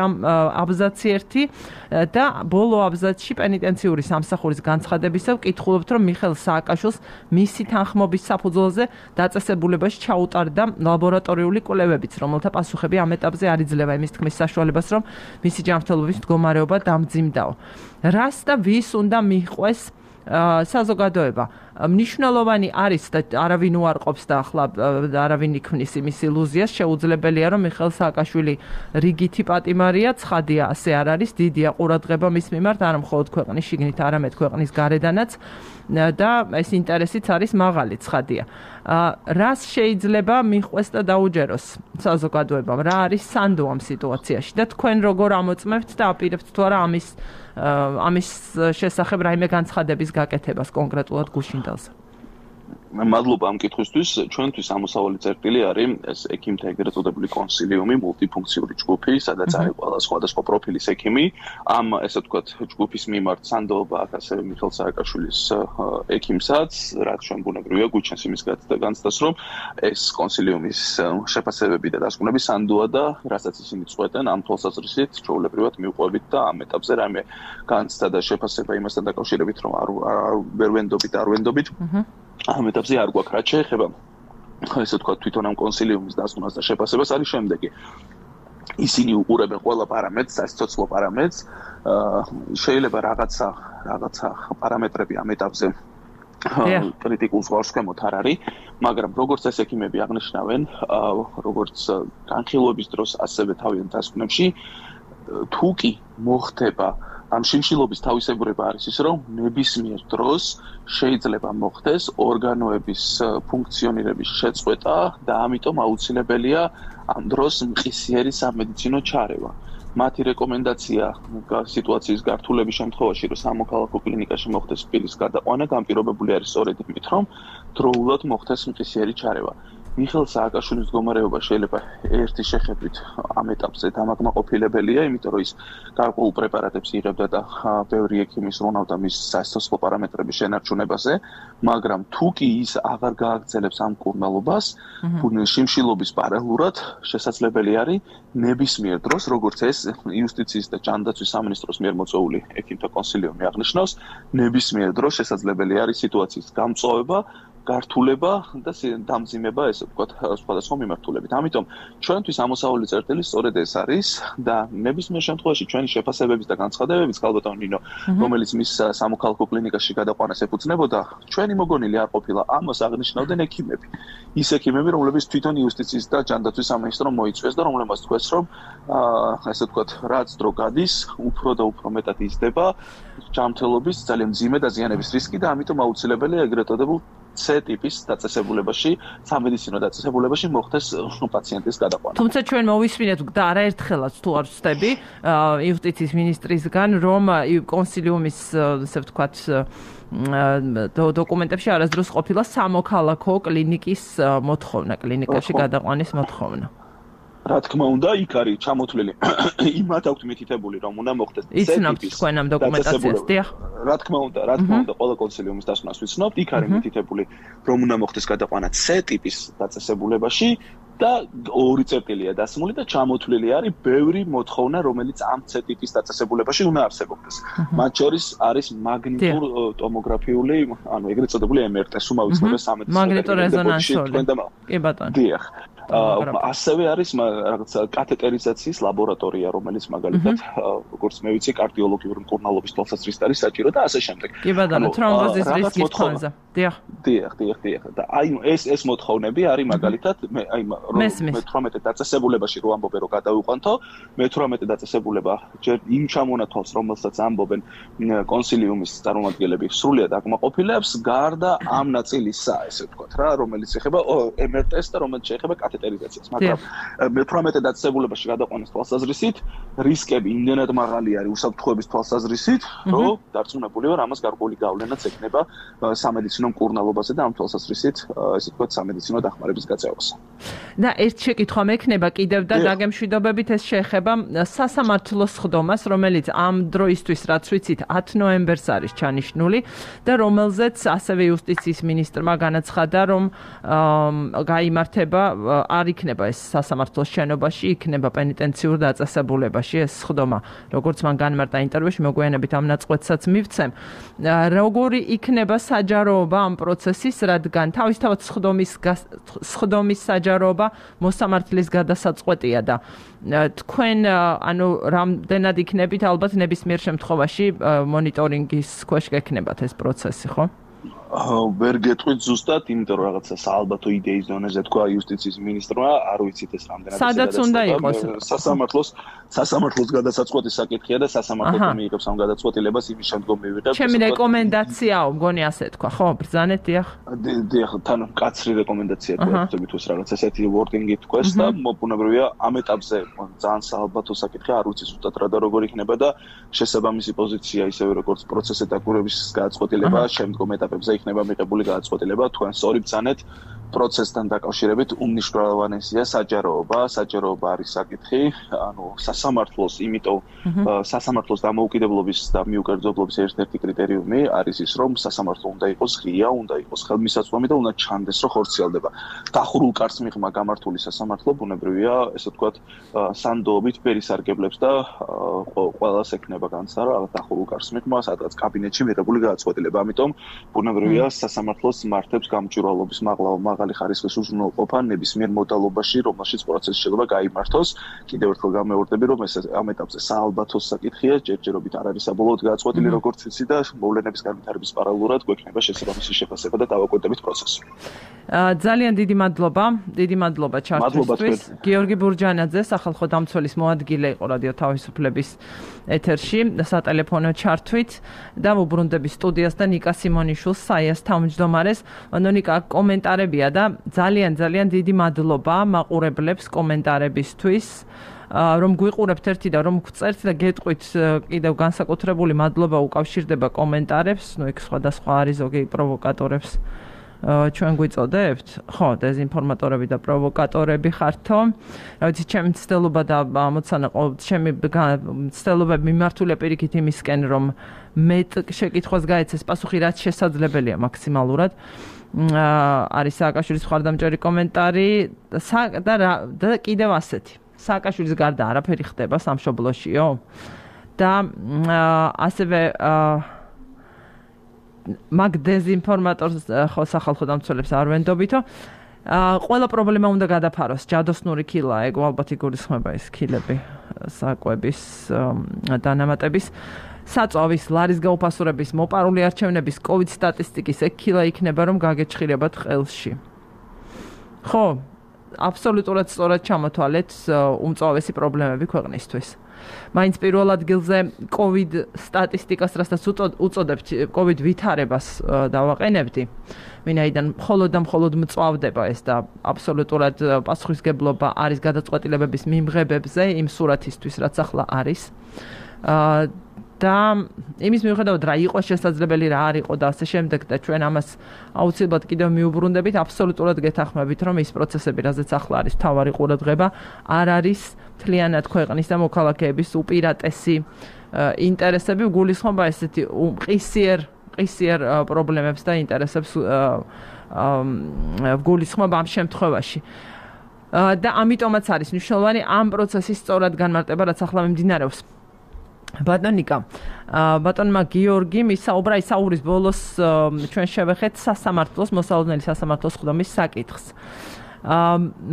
აბზაცი 1 და ბოლო აბზაცში პენიტენციური სამსახურის განცხადებისას ვკითხულობთ, რომ მიხეილ სააკაშვილს მისი თანხმობის საფუძველზე დაწესებულებაში ჩაუტარდა ლაბორატორიული კვლევებიც, რომელთა პასუხები ამ ეტაპზე არ იძლევა იმის თქმის საშუალებას, რომ მისი ჯანმრთელობის მდგომარეობა დამძიმდაო. რას და ვის უნდა მიჰყვეს საზოგადოება? მნიშვნელოვანი არის და არავინ უარყოფს და ახლა არავინ იქმნის იმის ილუზიას, შეუძლებელია რომ მიხეილ სააკაშვილი რიგითი პატიმარია, ცხადია ასე არ არის, დიდია ყურადღება მის მიმართ, არა მხოლოდ ქვეყნის შიგნით, არამედ ქვეყნის გარედანაც და ეს ინტერესიც არის მაღალი, ცხადია. რას შეიძლება მიჰყვეს და დაუჯეროს საზოგადოებამ? რა არის სანდო ამ სიტუაციაში და თქვენ როგორ ამოწმებთ და აპირებთ თუ არა ამის შესახებ რაიმე განცხადების გაკეთებას კონკრეტულად გუშინდელზე? მადლობა ამ კითხვისთვის. ჩვენთვის ამოსავალი წერტილი არის ეს ექიმთა ეგრეთ წოდებული კონსილიუმი, მულტიფუნქციური ჯგუფი, სადაც არის ყველა სხვადასხვა პროფილის ექიმი. ამ ესე ვთქვათ ჯგუფის მიმართ სანდოობა აქვს ასევე მიხეილ სააკაშვილის ექიმსაც, რაც ჩვენ ბუნებრივია გვიჩენს იმის განცდას, რომ ეს კონსილიუმის შეფასებები და დასკვნები სანდოა და რასაც ისინი წყვეტენ, ამ თვალსაზრისით ჩვეულებრივად მივყვებით და ამ ეტაპზე რაიმე განცდა და შეფასება იმასთან დაკავშირებით, რომ ვერ ვენდობით. ამ ეტაპზე არ გვაქვს რაც შეეხება ესე ვთქვათ თვითონ ამ კონსილიუმის დასკვნას და შეფასებას არის შემდეგი. ისინი უყურებენ ყველა პარამეტრს, სასიცოცხლო პარამეტრს, შეიძლება რაღაცა პარამეტრები ამ ეტაპზე კრიტიკულ ზღვარსქვემოთ არ არის, მაგრამ როგორც ეს ექიმები აღნიშნავენ, როგორც განხილვების დროს, ასევე თავიანთ დასკვნებში, თუ კი მოხდება ამ შიმშილობის თავისებურება არის ის, რომ ნებისმიერ დროს შეიძლება მოხდეს ორგანოების ფუნქციონირების შეწყვეტა და ამიტომ აუცილებელია ამ დროს მყისიერი სამედიცინო ჩარევა. მათი რეკომენდაცია სიტუაციის გართულების შემთხვევაში, რომ სამოქალაქო კლინიკაში მოხდეს პირის გადაყვანა, განპირობებული არის სწორედ იმით, რომ დროულად მოხდეს მყისიერი ჩარევა. მიხეილ სააკაშვილის მდგომარეობა შეიძლება ერთი შეხედვით ამ ეტაპზე დამაკმაყოფილებელია, იმიტომ რომ ის გარკვეულ პრეპარატებს იღებდა და ბევრი ექიმის რონავდა მის სასიცოცხლო პარამეტრების შენარჩუნებაზე, მაგრამ თუ კი ის აღარ გააგრძელებს ამ კურნალობას, შიმშილობის პარალელურად შესაძლებელი არის ნებისმიერ დროს, როგორც ეს იუსტიციის და ჯანდაცვის სამინისტროს მიერ მოწვეული ექიმთა კონსილიუმი აღნიშნავს, ნებისმიერ დროს შესაძლებელი არის სიტუაციის გამწვავება, გართულება და დამძიმება, ესე ვთქვათ, სხვადასხვა მიმართულებით. ამიტომ ჩვენთვის ამოსავალი წერტილი სწორედ ეს არის და ნებისმიერ შემთხვევაში ჩვენი შეფასებების და განცხადებების ქალბატონ ნინო, რომელიც მის სამოქალაქო კლინიკაში გადაყვანას ეფუძნებოდა, ჩვენი მოგონილი არ ყოფილა, ამას აღნიშნავდნენ ექიმები. ის ექიმები, რომლებიც თვითონ იუსტიციის და ჯანდაცვის სამინისტრომ მოიწვიეს და რომლებმაც თქვეს, რომ ესე ვთქვათ, რაც დრო გადის, უფრო და უფრო მეტად იზრდება ჯანმრთელობის ძალიან მძიმე დაზიანების რისკი და ამიტომ აუცილებელია ეგრეთ წოდებულ C ტიპის დაწესებულებაში, სამედიცინო დაწესებულებაში მოხდეს პაციენტის გადაყვანა. თუმცა ჩვენ მოვისმინეთ და არაერთხელაც თუ არ ვწდები იუსტიციის მინისტრისგან, რომ კონსილიუმის ესე ვთქვათ დოკუმენტებში არასდროს ყოფილა სამოქალაქო კლინიკის მოთხოვნა, კლინიკაში გადაყვანის მოთხოვნა. რა თქმა უნდა, იქ არის ჩამოთვლილი იმათ აქვთ მითითებული, რომ უნდა მოხდეს იცნობთ თქვენ ამ დოკუმენტაციას, დიახ. რა თქმა უნდა, ყველა კონსილიუმის დასკვნას ვიცნობთ, იქ არის მითითებული, რომ უნდა მოხდეს გადაყვანა C ტიპის დაწესებულებაში და 2 წერტილია დასმული და ჩამოთვლილი არის ბევრი მოთხოვნა, რომელიც ამ C ტიპის დაწესებულებაში უნდა არსებობდეს. მათ შორის არის მაგნიტურ ტომოგრაფიული, ანუ ეგრეთ წოდებული MRT, უმავიცნობე სამედიცინო მაგნიტორეზონანსული. კი ბატონო. დიახ. ასევე არის რაღაცა კათეტერიზაციის ლაბორატორია, რომელიც მაგალითად, როგორც მე ვიცი, კარდიოლოგიური მკურნალობის თვალსაზრისით არის საჭირო და ასე შემდეგ. კი ბატონო, თრომბოზის რისკის ფონზე. დიახ. და აი ეს მოთხოვნები არის მაგალითად მე-18 დაწესებულებაში რო ამბობენ რომ გადავიყვანთო, მე-18 დაწესებულება ჯერ იმ ჩამონათვალს, რომელსაც ამბობენ კონსილიუმის წარმომადგენლები სრულიად აკმაყოფილებს, გარდა ამ ნაწილისა, ესე ვთქვათ რა, რომელიც ეხება MRT-ს და რომელიც შეეხება კათეტერიზაციას, მაგრამ მე-18 დაწესებულებაში გადაყვანის თვალსაზრისით რისკები იმდენად მაღალი არის უსაფრთხოების თვალსაზრისით, რომ დარწმუნებული ვარ, ამას გარკვეული გავლენაც ექნება სამედიცინო მკურნალობაზე და ამ თვალსაზრისით, ესე ვთქვათ, სამედიცინო დახმარების გაწევასა. და ერთ შეკითხვა მექნება კიდევ და დაგემშვიდობებით ეს შეეხება სასამართლოს სხდომას, რომელიც ამ დროისთვის რაც ვიცით 10 ნოემბერს არის ჩანიშნული და რომელზეც ასევე იუსტიციის მინისტრმა განაცხადა, რომ გაიმართება არ იქნება ეს სასამართლოს შენობაში, იქნება პენიტენციურ დაწესებულებაში ეს სხდომა. როგორც მან განმარტა ინტერვიუში, მოგვიანებით ამ ნაწყვეტსაც მივცემ. როგორი იქნება საჯაროობა ამ პროცესის, რადგან თავისთავად სხდომის საჯაროება მოსამართლის გადასაწყვეტია და თქვენ ანუ რამდენად იქნებით ალბათ ნებისმიერ შემთხვევაში მონიტორინგის ქვეშ გექნებათ ეს პროცესი, ხო? ვერ გეტყვით ზუსტად, იმიტომ რომ რაღაცა საალბათო იდეის დონეზე თქვა იუსტიციის მინისტრმა, არ ვიცით ეს რამდენად სადაც უნდა იყოს სასამართლოს გადასაწყვეტის საკითხია და სასამართლო მიიღებს ამ გადაწყვეტილებას იმის შემდგომ მივიღებს. ჩემი რეკომენდაციაა, მგონი ასე თქვა, ხო? ბრძანეთ, დიახ. დიახ, თან კაცრი რეკომენდაცია თქვა, თვითონ რაღაც ესეთი wording-ი თქვეს და მობუნებრივია ამ ეტაპზე ძალიან საალბათო საკითხია, არ ვიცი ზუსტად რა და როგორ იქნება და შესაბამისი პოზიცია ისევე როგორც პროცესის დაკვირვების გადაწყვეტილება შემდგომ ეტაპებზე იქნება მიღებული გადაწყვეტილება, თქვენ სწორი ბრძანეთ პროცესთან დაკავშირებით უმნიშვნელოვანესია საჯაროობა არის საკითხი, ანუ სასამართლოს, იმიტომ სასამართლოს დამოუკიდებლობის და მიუკერძებლობის ერთ-ერთი კრიტერიუმი არის ის, რომ სასამართლო უნდა იყოს ღია, უნდა იყოს ხელმისაწვდომი და უნდა ჩანდეს, რომ ხორციელდება. დახურულ კარს მიღმა გამართული სასამართლო, ბუნებრივია, ესე ვთქვათ, სანდოობით პერისარგებლებს და ყველას ექნება განცდა, რომ დახურულ კარს მიღმა, სადღაც კაბინეტში მიღებული გადაწყვეტილება. ამიტომ ბუნებრივია, სასამართლოს მართებს გამჭვირვალობის მაღალი ხარისხის უზრუნველყოფა ნებისმიერ მოდალობაში, რომელშიც პროცესი შეიძლება გაიმართოს. კიდევ ერთხელ გამეორდები, რომ ეს ამ ეტაპზე საალბათო საკითხია, ჯერჯერობით არ არის საბოლოოდ გადაწყვეტილი, როგორც ვიცი და მოვლენების განვითარების პარალელურად გვექნება შესაბამისი შეფასება და დავაკვირდებით პროცესი. ძალიან დიდი მადლობა ჩართვისთვის. გიორგი ბურჯანაძე, სახალხო დამცველის მოადგილე იყო რადიო თავისუფლების ეთერში სატელეფონო ჩართვით და ვუბრუნდები სტუდიას და ნიკა სიმონიშვილს, საიას თავმჯდომარეს. ნიკა, კომენტარებია და ძალიან დიდი მადლობა მაყურებლებს კომენტარებისთვის. რომ გვიყურებთ ერთი და რომ გწერთ და გეტყვით კიდევ განსაკუთრებული მადლობა უკავშირდება კომენტარებს, იქ სხვადასხვა არის ზოგი პროვოკატორებს ჩვენ გვიწოდებთ, ხო, დეზინფორმატორები და პროვოკატორები ხართო. რა ვიცი, ჩემი ცდელობა და მოცანა ჩემი ცდელობები მიმართულია პირიქით იმისკენ, რომ მეტ შეკითხვას გაეცეს პასუხი, რაც შესაძლებელია მაქსიმალურად. არის სააკაშვილის მხარდამჭერი კომენტარი და კიდევ ასეთი. სააკაშვილის გარდა არაფერი ხდება სამშობლოშიო და ასევე მაგ დეზინფორმატორს ხო სახალხო დამცველებს არ ვენდობითო. ყველა პრობლემა უნდა გადაფაროს. ჯადოსნური ქილა, ეგ ალბათ იგულისხმება ეს ქილები საკვების დანამატების. საწვავის, ლარის გაუფასურების, მოპარული არჩევნების, COVID სტატისტიკის ეგ ქილა იქნება, რომ გაგეჩხირებათ ყელში. ხო, აბსოლუტურად სწორად ჩამოთვალეთ უმწვავესი პრობლემები ქვეყნისთვის. მაინც პირველ ადგილზე COVID სტატისტიკას, რასაც უწოდებთ COVID ვითარებას დავაყენებდი. ვინაიდან მხოლოდ მწვავდება ეს და აბსოლუტურად პასუხისგებლობა არის გადაწყვეტილებების მიმღებებზე იმ სურათისთვის, რაც ახლა არის. და იმის მიუხედავად რა იყო შესაძლებელი, რა არ იყო და ასე შემდეგ და ჩვენ ამას აუცილებლად კიდევ მიუბრუნდებით, აბსოლუტურად გეთანხმებით, რომ ის პროცესები, რაზეც ახლა არის თავარი ყურადღება, არ არის მთლიანად ქვეყნის და მოქალაქეების უპირატესი ინტერესები, გულისხმობა ესეთი ყისიერ პრობლემებს და ინტერესებს გულისხმობა ამ შემთხვევაში. და ამიტომაც არის მნიშვნელოვანი ამ პროცესის სწორად განმარტება, რაც ახლა მიმდინარეობს. ბატონიკა, ბატონმა გიორგიმ ისაურის ბოლოს ჩვენ შევეხეთ სასამართლოს, მოსალოდნელი სასამართლოს ხდომის საკითხს.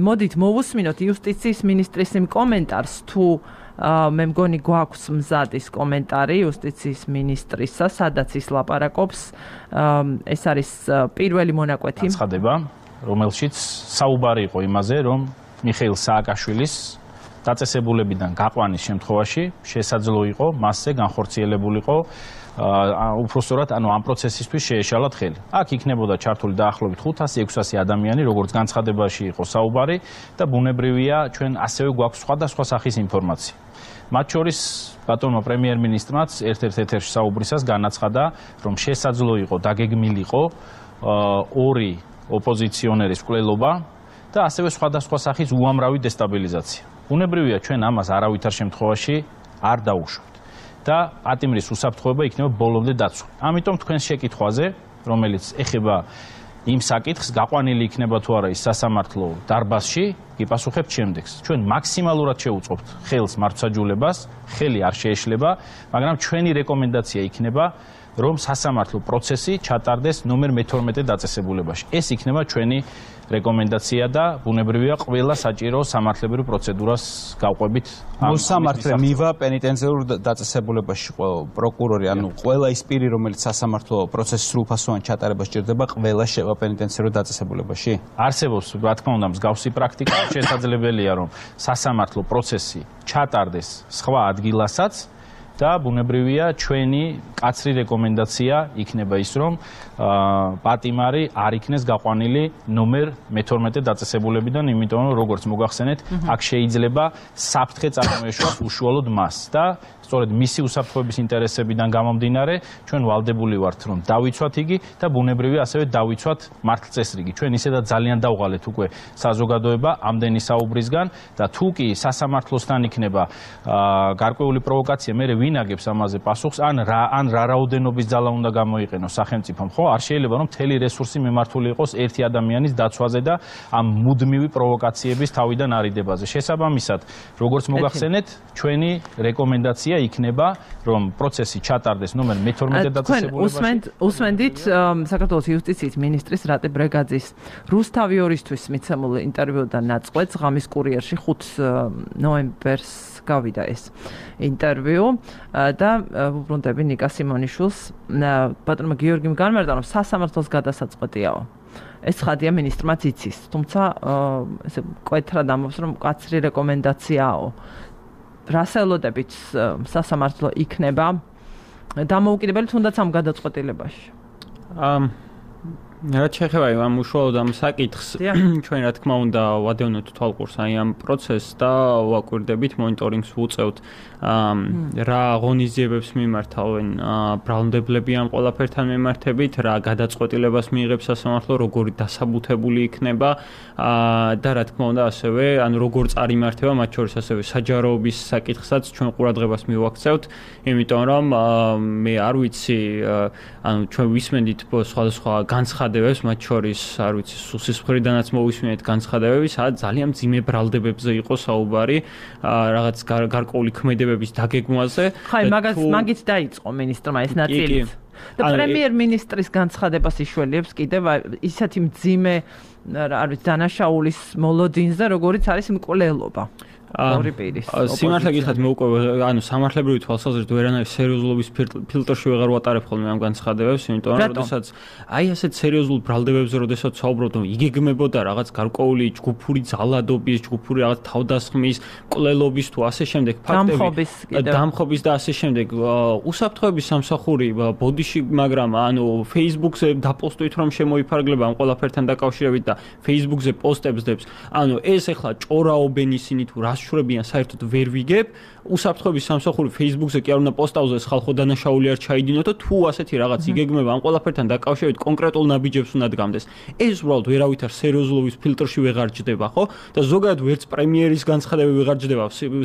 მოდით მოვუსმინოთ იუსტიციის მინისტრის იმ კომენტარს, თუ მე მგონი გვაქვს მზად ის კომენტარი იუსტიციის მინისტრისა, სადაც ის ლაპარაკობს, ეს არის პირველი მონაკვეთი. აცხადება, რომელშიც საუბარი იყო იმაზე, რომ მიხეილ სააკაშვილის დაწესებულებიდან გაყვანის შემთხვევაში შესაძლო იყო მასზე განხორციელებულიყო უпростоრად ამ პროცესისთვის შეეშალათ ხელი. აქ იქნებოდა ჩართული დაახლოებით 500-600 ადამიანი, როგორც განცხადებაში იყო საუბარი და ბუნებრივია ჩვენ ასევე გვაქვს სხვადასხვა სახის ინფორმაცია. მათ შორის ბატონმა პრემიერ-მინისტრმაც ერთ-ერთ ეთერში საუბრისას განაცხადა, რომ შესაძლო იყო დაგეგმილიყო ორი ოპოზიციონერის მკვლელობა და ასევე სხვადასხვა სახის უამრავი დესტაბილიზაცია. ბუნებრივია ჩვენ ამას არავითარ შემთხვევაში არ დავუშვებთ და პატიმრის უსაფრთხოება იქნება ბოლომდე დაცული. ამიტომ თქვენს შეკითხვაზე, რომელიც ეხება იმ საკითხს, გაყვანილი იქნება თუ არა ის სასამართლო დარბაზში, გიპასუხებთ შემდეგს. ჩვენ მაქსიმალურად შევუწყობთ ხელს მართლმსაჯულებას, ხელი არ შეეშლება, მაგრამ ჩვენი რეკომენდაცია იქნება, რომ სასამართლო პროცესი ჩატარდეს ნომერ 12 დაწესებულებაში. ეს იქნება ჩვენი რეკომენდაცია და ბუნებრივია ყველა საჭირო სამართლებრივ პროცედურას გავყვებით. მოსამართლე მივა პენიტენციურ დაწესებულებაში პროკურორი, ანუ ყველა ის პირი, რომელიც სასამართლო პროცესის სრულფასოვან ჩატარებას სჭირდება, ყველა შევა პენიტენციურ დაწესებულებაში. არსებობს, რა თქმა უნდა, მსგავსი პრაქტიკა, შესაძლებელია, რომ სასამართლო პროცესი ჩატარდეს სხვა ადგილასაც და ბუნებრივია ჩვენი კაცრი რეკომენდაცია იქნება ის, რომ პატიმარი არ იქნეს გაყვანილი ნომერ 12 დაწესებულებიდან, იმიტომ რომ როგორც მოგახსენეთ, აქ შეიძლება საფრთხე წარმოეშვას უშუალოდ მას და სწორედ მისი უსაფრთხოების ინტერესებიდან გამომდინარე, ჩვენ ვალდებული ვართ, რომ დავიცვათ იგი და ბუნებრივია ასევე დავიცვათ მართლწესრიგი. ჩვენ ისედაც ძალიან დავღალეთ უკვე საზოგადოება ამდენი საუბრისგან და თუ კი სასამართლოსთან იქნება გარკვეული პროვოკაცია, მე ვინაგებს ამაზე პასუხს, ან რა რაოდენობის ძალა უნდა გამოიყენოს სახელმწიფომ, ხო? არ შეიძლება რომ მთელი რესურსი მიმართული იყოს ერთი ადამიანის დაცვაზე და ამ მუდმივი პროვოკაციების თავიდან არიდებაზე. შესაბამისად, როგორც მოგახსენეთ, ჩვენი რეკომენდაცია იქნება, რომ პროცესი ჩატარდეს ნომერ 12 დაწესებულებაში. უსმენდით საქართველოს იუსტიციის მინისტრის რატე ბრეგაძის რუსთავი ორისთვის მიცემულ ინტერვიუდან ნაწყვეტს ღამის კურიერში 5 ნოემბერს გავიდა ეს ინტერვიუ და ვუბრუნდები ნიკა სიმონიშვილს. ბატონმა გიორგიმ განმარტა, რომ სასამართლოს გადასაწყვეტიაო. ეს ხადია მინისტრმაც იცის, თუმცა ესე კვეთრად ამბობს, რომ კაცრი რეკომენდაციაო. რას ელოდებით სასამართლო იქნება დამოუკიდებელი თუნდაც ამ გადაწყვეტილებაში? რაც შეეხება ამ უშუალოდ ამ საკითხს, ჩვენ რა თქმა უნდა ვადევნოთ თვალყურს აი ამ პროცესს და ვაკვირდებით, მონიტორინგს ვუწევთ, რა ღონისძიებებს მიმართავენ ბრალმდებლები ამ ყველაფერთან მიმართებით, რა გადაწყვეტილებას მიიღებს სასამართლო, როგორი დასაბუთებული იქნება და რა თქმა უნდა ასევე, ანუ როგორ წარიმართება, მათ შორის ასევე საჯაროობის საკითხსაც ჩვენ ყურადღებას მივაქცევთ, იმიტომ რომ მე არ ვიცი, ანუ ჩვენ ვისმენდით სხვადასხვა განცხადებებს, მათ შორის არ ვიცი, სუსის მხრიდანაც მოვისმენთ განცხადებები, სადაც ძალიან მძიმე ბრალდებებზე იყო საუბარი, რაღაც გარკვეული ქმედებების დაგეგმვაზე. ხაი, მაგით დაიწყო მინისტრმა ეს ნაწილიც. და პრემიერ-მინისტრის განცხადებას იშველიებს კიდევ ისეთი მძიმე, არ ვიცი, დანაშაულის მოლოდინზე, როგორიც არის მკვლელობა. ორი პირის. სიმართლე გითხრათ მე უკვე ანუ სამართლებრივი თვალსაზრისით ვერანაირ სერიოზულობის ფილტრში ვეღარ ვატარებ ხოლმე ამ განცხადებებს, იმიტომ რომ როდესაც აი ასეთ სერიოზულ ბრალდებებზე როდესაც საუბრობთ, იგეგმებოდა რაღაც გარკვეული ჯგუფური ძალადობის, ჯგუფური რაღაც თავდასხმის, მკვლელობის თუ ასე შემდეგ ფაქტები, დამხობის და ასე შემდეგ. უსაფრთხოების სამსახური ბოდიში, მაგრამ ანუ Facebook-ზე დაპოსტვით რომ შემოიფარგლება ამ ყველაფერთან დაკავშირებით და Facebook-ზე პოსტებს დებს. ანუ ეს ახლა ჭორაობენ ისინი თუ რას შვრებიან საერთოდ ვერ ვიგებ. უსაფრთხოების სამსახური Facebook-ზე კი არ უნდა პოსტაუზეს ხალხო დანაშაული არ ჩაიდინოთ და თუ ასეთი რაღაც იგეგმება ამ ყველაფერთან დაკავშირებით კონკრეტულ ნაბიჯებს უნდა დგამდეს. ეს უბრალოდ ვერავითარ სერიოზულობის ფილტრში ვეღარ ჯდება, ხო? და ზოგადად ვერც პრემიერის განცხადებები ვეღარ ჯდება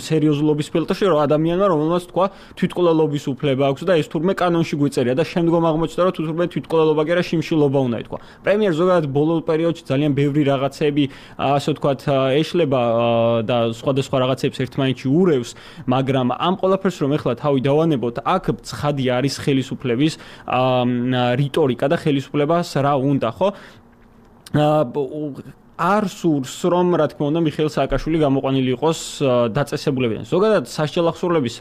სერიოზულობის ფილტრში, რომ ადამიანმა რომელმაც თქვა თვითმკვლელობის უფლება აქვს და ეს თურმე კანონში გვიწერია და შემდგომ აღმოჩნდა რომ თურმე თვითმკვლელობა კი არა შიმშილობა უნდა ითქვა. პრემიერ ზოგადად ბოლო პერიოდში ძალიან ბევრი რაღაცები ასე ვთქვათ ეშლება და სხვადასხვა რაღაცებს ერთმანეთში ურევს, მაგრამ ამ ყველაფერს რომ ეხლა თავი დავანებოთ, აქ ცხადი არის ხელისუფლების რიტორიკა და ხელისუფლებას რა უნდა, ხო? არ სურს რომ რა თქმა უნდა მიხეილ სააკაშვილი გამოყვანილი იყოს დაწესებულებიდან. ზოგადად სასჯელახსოვრლების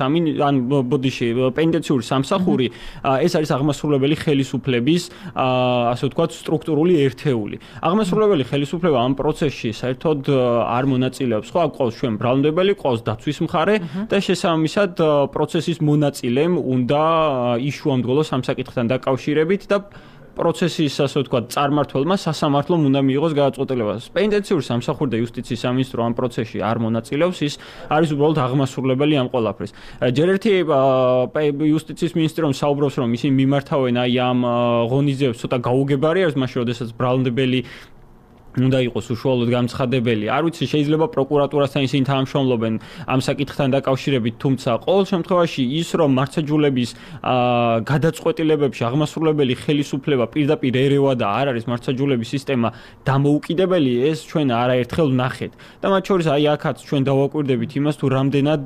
ან ბოდიში პენიტენციური სამსახური ეს არის აღმასრულებელი ხელისუფლების ასე ვთქვათ სტრუქტურული ერთეული. აღმასრულებელი ხელისუფლება ამ პროცესში საერთოდ არ მონაწილეობს, ხო? აქ ყავს ჩვენ ბრალმდებელი, ყავს დაცვის მხარე და შესაბამისად პროცესის მონაწილემ უნდა იშუამდგოლოს ამ საკითხთან დაკავშირებით და პროცესის ასე ვთქვათ წარმმართველმა სასამართლომ უნდა მიიღოს გადაწყვეტილება. პენიტენციური სამსახური და იუსტიციის სამინისტრო ამ პროცესში არ მონაწილეობს, ის არის უბრალოდ აღმასრულებელი ამ ყველაფრის. ჯერ ერთი იუსტიციის მინისტრიამ საუბრობს, რომ ისინი მიმართავენ აი ამ ღონისძიებებს ცოტა გაუგებარი არის, მაშინ როდესაც ბრალმდებელი უნდა იყოს უშუალოდ გამცხადებელი. არ ვიცი, შეიძლება პროკურატურასთან ისინი თანამშრომლობენ ამ საკითხთან დაკავშირებით, თუმცა ყოველ შემთხვევაში ის რომ მართლმსაჯულების გადაწყვეტილებებში აღმასრულებელი ხელისუფლება პირდაპირ ერევა და არ არის მართლმსაჯულების სისტემა დამოუკიდებელი, ეს ჩვენ არაერთხელ ვნახეთ. და მათ შორის აი აქაც ჩვენ დავაკვირდებით იმას, თუ რამდენად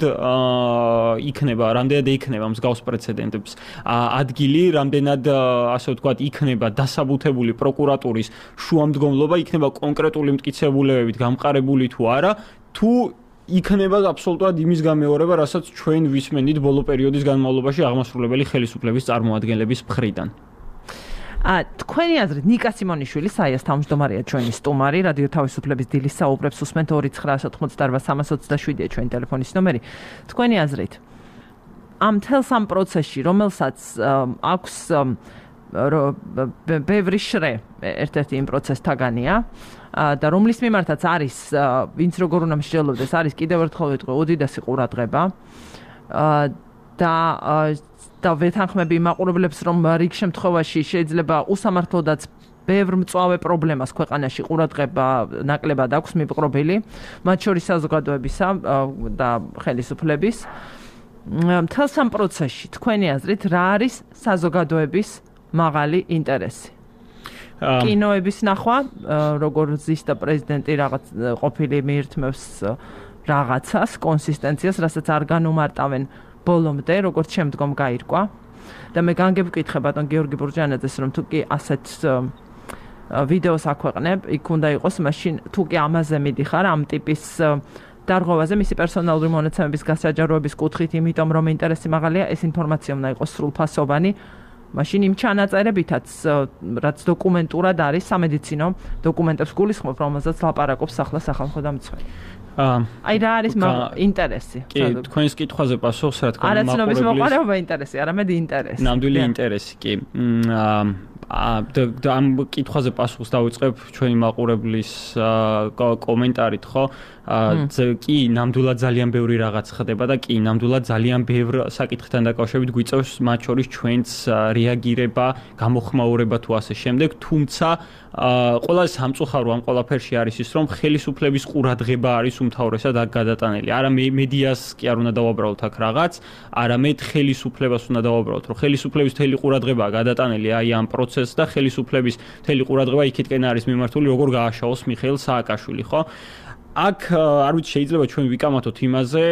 იქნება მსგავს პრეცედენტებს ადგილი, რამდენად ასე ვთქვათ იქნება დასაბუთებული პროკურატურის შუამდგომლობა, იქნება კონკრეტული მტკიცებულებებით გამყარებული თუ არა, თუ იქნება აბსოლუტურად იმის გამეორება, რასაც ჩვენ ვისმენით ბოლო პერიოდის განმავლობაში აღმასრულებელი ხელისუფლების წარმომადგენლების მხრიდან. თქვენი აზრით ნიკა სიმონიშვილი საიას თავმჯდომარეა ჩვენი სტუმარი, რადიო თავისუფლების დილის საუბრებს უსმენთ 2988327-ია ჩვენი ტელეფონის ნომერი. თქვენი აზრით ამ თელს ამ პროცესში, რომელსაც აქვს ბევრი შრე ერთ-ერთი იმ პროცესთაგანია და რომლის მიმართაც არის ვინც როგორ უნდა მსჯელობდეს, არის კიდევ ერთხელ ვიტყვი უდიდესი ყურადღება და ვეთანხმები მაყურებლებს, რომ რიგ შემთხვევაში შეიძლება უსამართლოდაც ბევრ მწვავე პრობლემას ქვეყანაში ყურადღება ნაკლებად აქვს მიპყრობილი, მათ შორის საზოგადოებისა და ხელისუფლების. მთელს ამ პროცესში თქვენი აზრით რა არის საზოგადოების მაღალი ინტერესი? კინოების ნახვა, როგორ ზის და პრეზიდენტი რაღაც ყოფილი მიირთმევს რაღაცას, კონსისტენციას, რასაც არ განუმარტავენ ბოლომდე, როგორც შემდგომ გაირკვა. და მე განგებკითხე ბატონ გიორგი ბურჯანაძეს, რომ თუ კი ასეთ ვიდეოს აქვეყნებ, იქ უნდა იყოს მაშინ თუ კი ამაზე მიდიხარ, ამ ტიპის დარღვევაზე მისი პერსონალური მონაცემების გასაჯაროების კუთხით, იმიტომ რომ ინტერესი მაღალია, ეს ინფორმაცია უნდა იყოს სრულფასოვანი. მაშინ იმ ჩანაწერებითაც, რაც დოკუმენტურად არის, სამედიცინო დოკუმენტებს გულისხმობ, რომელზეც ლაპარაკობს ახლა სახალხო დამცველი. აი რა არის ინტერესი? კი, თქვენს კითხვაზე პასუხს რა თქმა უნდა არაცნობის მოყარეობა ინტერესი, არამედ ინტერესი. ნამდვილი ინტერესი, კი. ამ კითხვაზე პასუხს დავიწყებ ჩვენი მაყურებლის კომენტარით, ხო? კი, ნამდვილად ძალიან ბევრი რაღაც ხდება და კი, ნამდვილად ძალიან ბევრ საკითხთან დაკავშირებით გვიწევს მათ შორის ჩვენც რეაგირება, გამოხმაურება თუ ასე შემდეგ, თუმცა ყველაზე სამწუხარო ამ ყველაფერში არის ის, რომ ხელისუფლების ყურადღება არის უმთავრესად აქ გადატანილი. არა მედიას კი არ უნდა დავაბრალოთ აქ რაღაც, არამედ ხელისუფლებას უნდა დავაბრალოთ, რომ ხელისუფლების მთელი ყურადღებაა გადატანილი აი ამ პროცესს და ხელისუფლების მთელი ყურადღება იქითკენ არის მიმართული, როგორ გააშაოს მიხეილ სააკაშვილი, ხო? აქ არ ვიცი, შეიძლება ჩვენ ვიკამათოთ იმაზე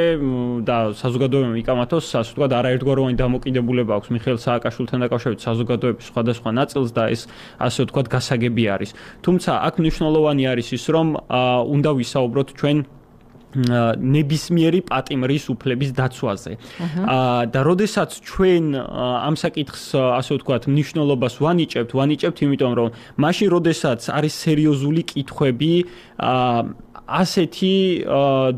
და საზოგადოებამ ვიკამათოს, ასე ვთქვათ, არაერთგვაროვანი დამოკიდებულება აქვს მიხეილ სააკაშვილთან დაკავშირებით საზოგადოების სხვადასხვა ნაწილს და ეს ასე ვთქვათ გასაგები არის. თუმცა აქ მნიშვნელოვანი არის ის, რომ უნდა ვისაუბროთ ჩვენ ნებისმიერი პატიმრის უფლების დაცვაზე. და როდესაც ჩვენ ამ საკითხს ასე ვთქვათ მნიშვნელობას ვანიჭებთ, იმიტომ რომ მაშინ როდესაც არის სერიოზული კითხვები ასეთი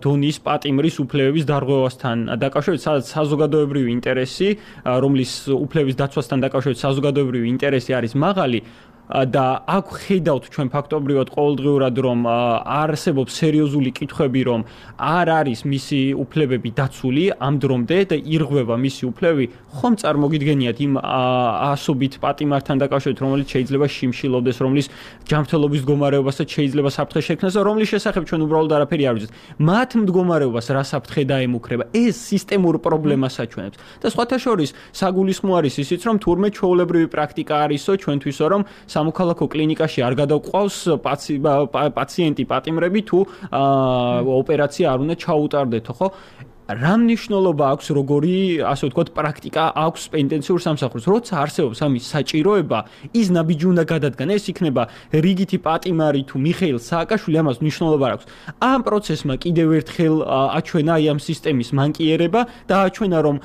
დონის პატიმრის უფლებების დარღვევასთან დაკავშირებით, სადაც საზოგადოებრივი ინტერესი, რომლის უფლების დაცვასთან დაკავშირებით საზოგადოებრივი ინტერესი არის მაღალი, და აქ ხედავთ ჩვენ ფაქტობრივად ყოველდღიურად რომ არსებობს სერიოზული კითხვები რომ არ არის მისი უფლებები დაცული ამ დრომდე და ირღვევა მისი უფლებები ხომ წარმოგიდგენიათ იმ ასობით პატიმართან დაკავშირებით რომელიც შეიძლება შიმშილობდეს რომლის ჯანმრთელობის მდგომარეობასაც შეიძლება საფრთხე შექმნას და რომლის შესახებ ჩვენ უბრალოდ არაფერი არ ვიცით მათ მდგომარეობას რა საფრთხე დაემუქრება ეს სისტემურ პრობლემას აჩვენებს და სხვათა შორის საგულისხმო არის ისიც რომ თურმე ჩვეულებრივი პრაქტიკა არისო ჩვენთვისო რომ სამოქალაქო კლინიკაში არ გადაგვყავს პაციენტი პატიმრები თუ ოპერაცია არ უნდა ჩაუტარდეთო, ხო? რა მნიშვნელობა აქვს როგორი, ასე ვთქვათ, პრაქტიკა აქვს პენტენციურ სამსახურს? როცა არსებობს ამის საჭიროება, ის ნაბიჯი უნდა გადადგან. ეს იქნება რიგითი პატიმარი თუ მიხეილ სააკაშვილი, ამას მნიშვნელობა აქვს. ამ პროცესმა კიდევ ერთხელ აჩვენა აი ამ სისტემის მანკიერება და აჩვენა რომ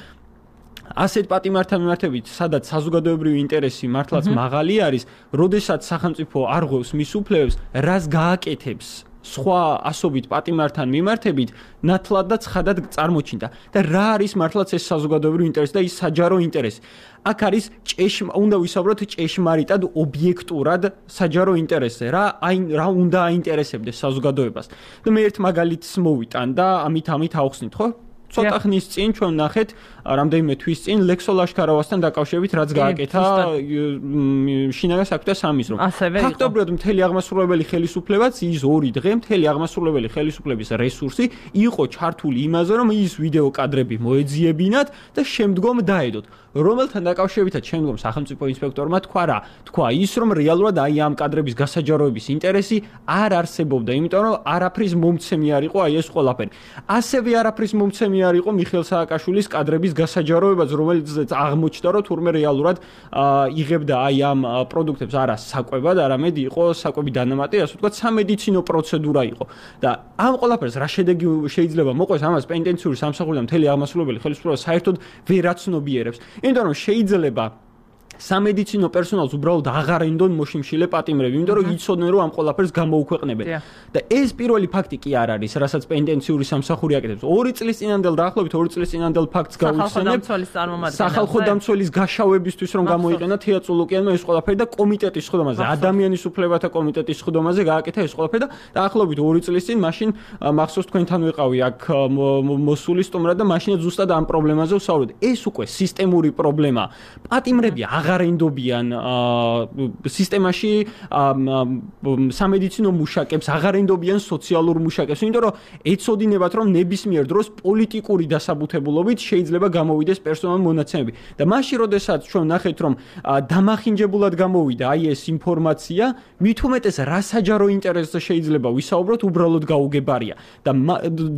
ასეთ პატიმართან მიმართებით, სადაც საზოგადოებრივი ინტერესი მართლაც მაღალი არის, როდესაც სახელმწიფო არღვევს მის უფლებებს, რას გააკეთებს სხვა ასობით პატიმართან მიმართებით, ნათლად და ცხადად წარმოჩინდა. და რა არის მართლაც ეს საზოგადოებრივი ინტერესი და ის საჯარო ინტერესი? აქ არის უნდა ვისაუბროთ ჭეშმარიტად, ობიექტურად საჯარო ინტერესზე, რა უნდა აინტერესებდეს საზოგადოებას. და მე ერთ მაგალითს მოვიტან და ამით ავხსნით, ხო? ცოტა ხნის წინ ჩვენ ნახეთ რამდენიმე თვის წინ ლექსო ლაშქარავასთან დაკავშირებით რაც გააკეთა შინაგან საქმეთა სამინისტრომ. ფაქტობრივად მთელი აღმასრულებელი ხელისუფლებაც ის 2 დღე მთელი აღმასრულებელი ხელისუფლების რესურსი იყო ჩართული იმაზე რომ ის ვიდეო კადრები მოეძიებინათ და შემდგომ დაედოთ. რომელთან დაკავშირებითაც შემდგომ სახელმწიფო ინსპექტორმა თქვა ის რომ რეალურად აი ამ კადრების გასაჯაროების ინტერესი არ არსებობდა, იმიტომ რომ არაფრის მომცემი არ იყო აი ეს ყველაფერი. ასევე არაფრის მომცემი არ იყო მიხეილ სააკაშვილის კადრების გასაჯაროებაც, რომელიც აღმოჩნდა რომ თურმე რეალურად იღებდა აი ამ პროდუქტებს არა საკვებად, არამედ იყო საკვები დანამატი, ასე ვთქვათ, სამედიცინო პროცედურა იყო. და ამ ყველაფერს რა შედეგი შეიძლება მოყვეს, ამას პენტენციური სამსახური და მთელი აღმასრულებელი ხელისუფლება საერთოდ ვერ აცნობიერებს. იმიტომ რომ შეიძლება სამედიცინო პერსონალს უბრალოდ აღარ ენდონ მოშიმშილე პატიმრები, იმიტომ რომ იცოდნენ რომ ამ ყველაფერს გამოუქვეყნებენ. და ეს პირველი ფაქტი კი არ არის, რასაც პენტენციური სამსახური აკეთებს. 2 წლის წინანდელ დაახლოებით 2 წლის წინანდელ ფაქტს გავიხსენებ. სახალხო დამცველის გაშავებისთვის რომ გამოიყენა თეა წულუკიანმა ეს ყველაფერი და კომიტეტის სხდომაზე, ადამიანის უფლებათა კომიტეტის სხდომაზე გააკეთა ეს ყველაფერი და დაახლოებით 2 წლის წინ მაშინ მახსოვს თქვენთან ვიყავი აქ მოსული სტუმრად და მაშინაც ზუსტად ამ პრობლემაზე ვსაუბრობდი. ეს უკვე სისტემური პრობლემა. პატიმრები აღარ ენდობიან სისტემაში სამედიცინო მუშაკებს, აღარ ენდობიან სოციალურ მუშაკებს, იმიტომ რომ ეცოდინებათ რომ ნებისმიერ დროს პოლიტიკური დასაბუთებულობით შეიძლება გამოვიდეს პერსონალური მონაცემები. და მაშინ როდესაც ჩვენ ნახეთ რომ დამახინჯებულად გამოვიდა აი ეს ინფორმაცია, მით უმეტეს რა საჯარო ინტერესზე შეიძლება ვისაუბროთ, უბრალოდ გაუგებარია. და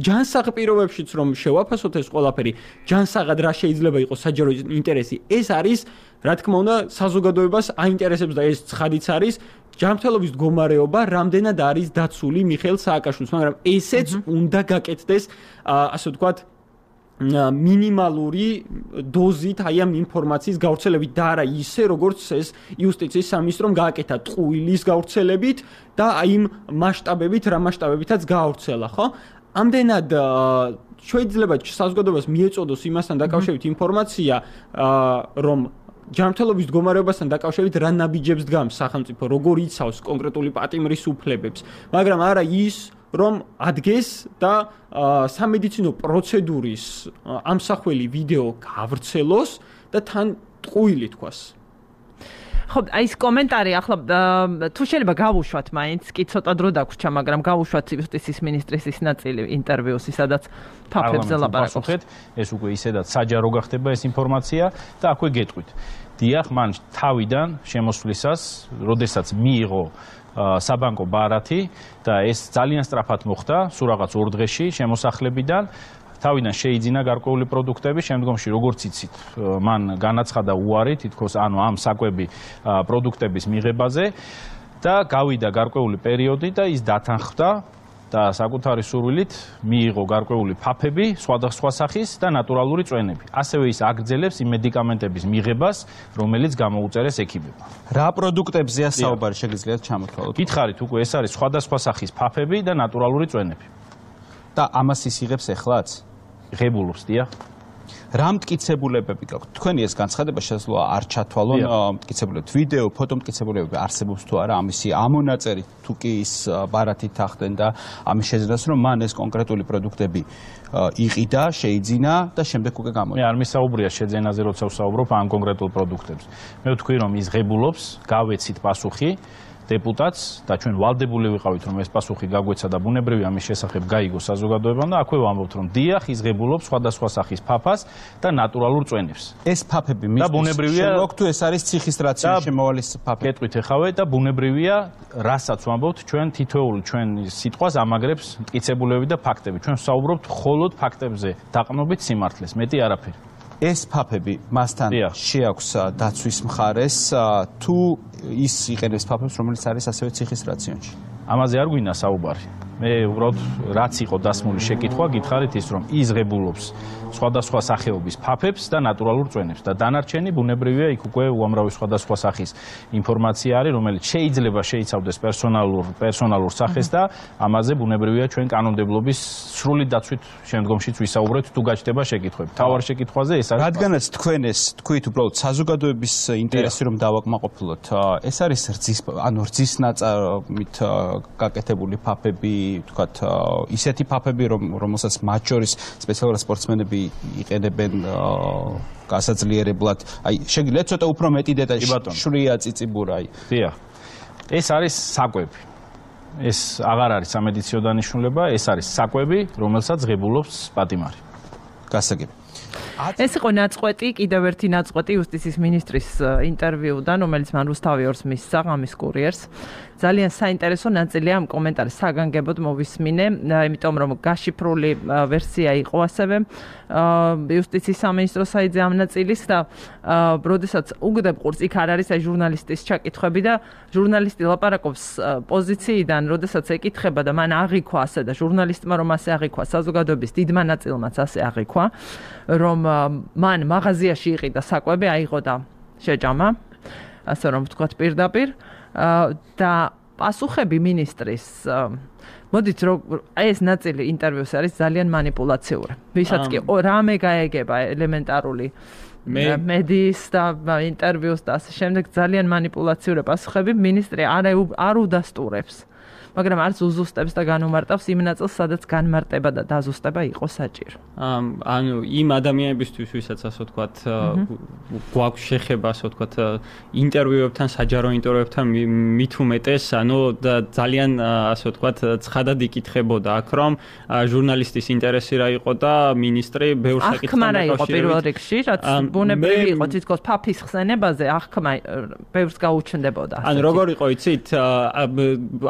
ჯანსაღ პირობებშიც რომ შევაფასოთ ეს ყველაფერი, ჯანსაღად რა შეიძლება იყოს საჯარო ინტერესი, ეს არის რა თქმა უნდა საზოგადოებას აინტერესებს და ეს ცხადიც არის ჯანმრთელობის მდგომარეობა რამდენად არის დაცული მიხეილ სააკაშვილის, მაგრამ ესეც უნდა გაკეთდეს ასე ვთქვათ მინიმალური დოზით აი ამ ინფორმაციის გავრცელებით და არა ისე როგორც ეს იუსტიციის სამინისტრომ გააკეთა ტყუილის გავრცელებით და აი იმ მასშტაბებით რა მასშტაბებითაც გავრცელა, ხო? ამდენად შეიძლება საზოგადოებას მიეწოდოს იმასთან დაკავშირებით ინფორმაცია რომ ჯანმრთელობის მდგომარეობასთან დაკავშირებით რა ნაბიჯებს დგამს სახელმწიფო, როგორ იცავს კონკრეტული პატიმრის უფლებებს, მაგრამ არა ის, რომ ადგეს და სამედიცინო პროცედურის ამსახველი ვიდეო გავრცელოს და თან ტყუილი თქვას. ხო, აი ეს კომენტარი ახლა თუ შეიძლება გავუშვათ მაინც, კი ცოტა დრო დაგვრჩა, მაგრამ გავუშვათ იუსტიციის მინისტრის ის ნაწილი ინტერვიუსი, სადაც ფაქტებზე ლაპარაკობს. ეს უკვე ისედაც საჯარო გახდება ეს ინფორმაცია და აქვე გეტყვით. დიახ, მან თავიდან შემოსვლისას, როდესაც მიიღო საბანკო ბარათი და ეს ძალიან სწრაფად მოხდა, სულ რაღაც 2 დღეში შემოსახლებიდან თავიდან შეიძინა გარკვეული პროდუქტები, შემდგომში როგორც იცით, მან განაცხადა უარი თითქოს ანუ ამ საკვები პროდუქტების მიღებაზე და გავიდა გარკვეული პერიოდი და ის დათანხმდა და საკუთარი სურვილით მიიღო გარკვეული ფაფები, სხვადასხვა სახის და ნატურალური წვენები. ასევე ის აგრძელებს იმ მედიკამენტების მიღებას, რომელიც გამოუწერეს ექიმებმა. რა პროდუქტებზეა საუბარი, შეგიძლიათ ჩამოთვალოთ? გითხარით, უკვე ეს არის სხვადასხვა სახის ფაფები და ნატურალური წვენები. და ამას ის იღებს ეხლაც? ღებულობს, დიახ. რა მტკიცებულებები გაქვთ? თქვენი ეს განცხადება შესაძლოა არ ჩათვალონ მტკიცებულებები, ვიდეო, ფოტო მტკიცებულებები არსებობს თუ არა ამისი ამონაწერი თუ კი ის ბარათით ახდენ და ამის შეძენას რომ მან ეს კონკრეტული პროდუქტები იყიდა, შეიძინა და შემდეგ უკვე გამოიყენა. მე არ მისაუბრია შეძენაზე, როცა ვსაუბრობ ამ კონკრეტულ პროდუქტებზე. მე ვთქვი რომ ის ღებულობს, გავეცით პასუხი დეპუტატს და ჩვენ ვალდებული ვიყავით რომ ეს პასუხი გაგვეცა და ბუნებრივია ამის შესახებ გაიგო საზოგადოებამ და აქვე ვამბობთ რომ დიახ ის ღებულობს სხვადასხვა სახის ფაფას და ნატურალურ წვენებს. ეს ფაფები მისთვის შემოგვაქვს თუ ეს არის ციხის რაციონის შემოვალის ფაფები? გეტყვით ეხავე და ბუნებრივია რასაც ვამბობთ ჩვენ თითოეული ჩვენ სიტყვას ამაგრებს მტკიცებულებები და ფაქტები. ჩვენ ვსაუბრობთ მხოლოდ ფაქტებზე დაყრდნობით სიმართლეს, მეტი არაფერი. ეს ფაფები მასთან შეაქვს დაცვის მხარეს თუ ის იყენებს ფაფებს, რომელიც არის ასევე ციხის რაციონში? ამაზე არ გვინდა საუბარი. მე უბრალოდ რაც იყო დასმული შეკითხვა, გითხარით ის რომ ის ღებულობს სხვადასხვა სახეობის ფაფებს და ნატურალურ წვენებს და დანარჩენი ბუნებრივია იქ უკვე უამრავი სხვადასხვა სახის ინფორმაცია არის, რომელიც შეიძლება შეიცავდეს პერსონალურ სახეს და ამაზე ბუნებრივია ჩვენ კანონმდებლობის სრული დაცვით შემდგომშიც ვისაუბრებთ თუ გაჩნდება შეკითხვები. თავარ შეკითხვაზე ეს არის. რადგანაც თქვენ ეს თქვით უბრალოდ საზოგადოების ინტერესი რომ დავაკმაყოფილოთ, ეს არის რძის ნაწარმით გაკეთებული ფაფები, თქვათ ისეთი ფაფები რომელსაც მათ შორის სპეციალურად სპორტსმენები იყენებენ გასაძლიერებლად. აი შეგიძლიათ ცოტა უფრო მეტი დეტალი შვრია წიწიბურა აი. დიახ. ეს არის საკვები. ეს აღარ არის სამედიცინო დანიშნულება, ეს არის საკვები, რომელსაც ღებულობს პატიმარი. გასაგები. ეს იყო ნაწყვეტი, კიდევ ერთი ნაწყვეტი იუსტიციის მინისტრის ინტერვიუდან, რომელიც მან რუსთავი ორს მისცა ღამის კურიერს. ძალიან საინტერესო ნაწილია ამ კომენტარის საგანგებოდ მოვისმინე, იმიტომ რომ გაშიფრული ვერსია იყო ასევე იუსტიციის სამინისტრო საიტზე ამ ნაწილის და როდესაც უგდებ ყურს, იქ არ არის აი ჟურნალისტის ჩაკითხვები და ჟურნალისტი ლაპარაკობს პოზიციიდან, როდესაც ეკითხება და მან აღიქვა ასე და ჟურნალისტმა რომ ასე აღიქვა, საზოგადოების დიდმა ნაწილმაც ასე აღიქვა, რომ მან მაღაზიაში იყიდა საკვები, აიღო და შეჭამა, ასე რომ ვთქვათ პირდაპირ და პასუხები მინისტრის მოდით რომ ეს ნაწილი ინტერვიუს არის ძალიან манипуლაციური. ვისაც კი რამე გაეგება ელემენტარული მედიის და ინტერვიუს და ასე შემდეგ ძალიან манипуლაციური პასუხები მინისტრი არ უდასტურებს. მაგრამ არც უზუსტებს და განუმარტავს იმ ნაწილს, სადაც განმარტება და დაზუსტება იყო საჭირო. ანუ იმ ადამიანებისთვის, ვისაც ასე ვთქვათ, გვაქვს შეხება, ასე ვთქვათ, ინტერვიუებთან, საჯარო ინტერვიუებთან მით უმეტეს, ანუ ძალიან ასე ვთქვათ, ცხადად იკითხებოდა აქ, რომ ჟურნალისტის ინტერესი რა იყო და მინისტრი ბევრ საკითხთან დაკავშირებით. აღქმა რა იყო პირველ რიგში, რაც ბუნებრივი იყო, თითქოს ფაფის ხსენებაზე აღქმა ბევრს გაუჩნდებოდა. ანუ როგორ იყო, იცით,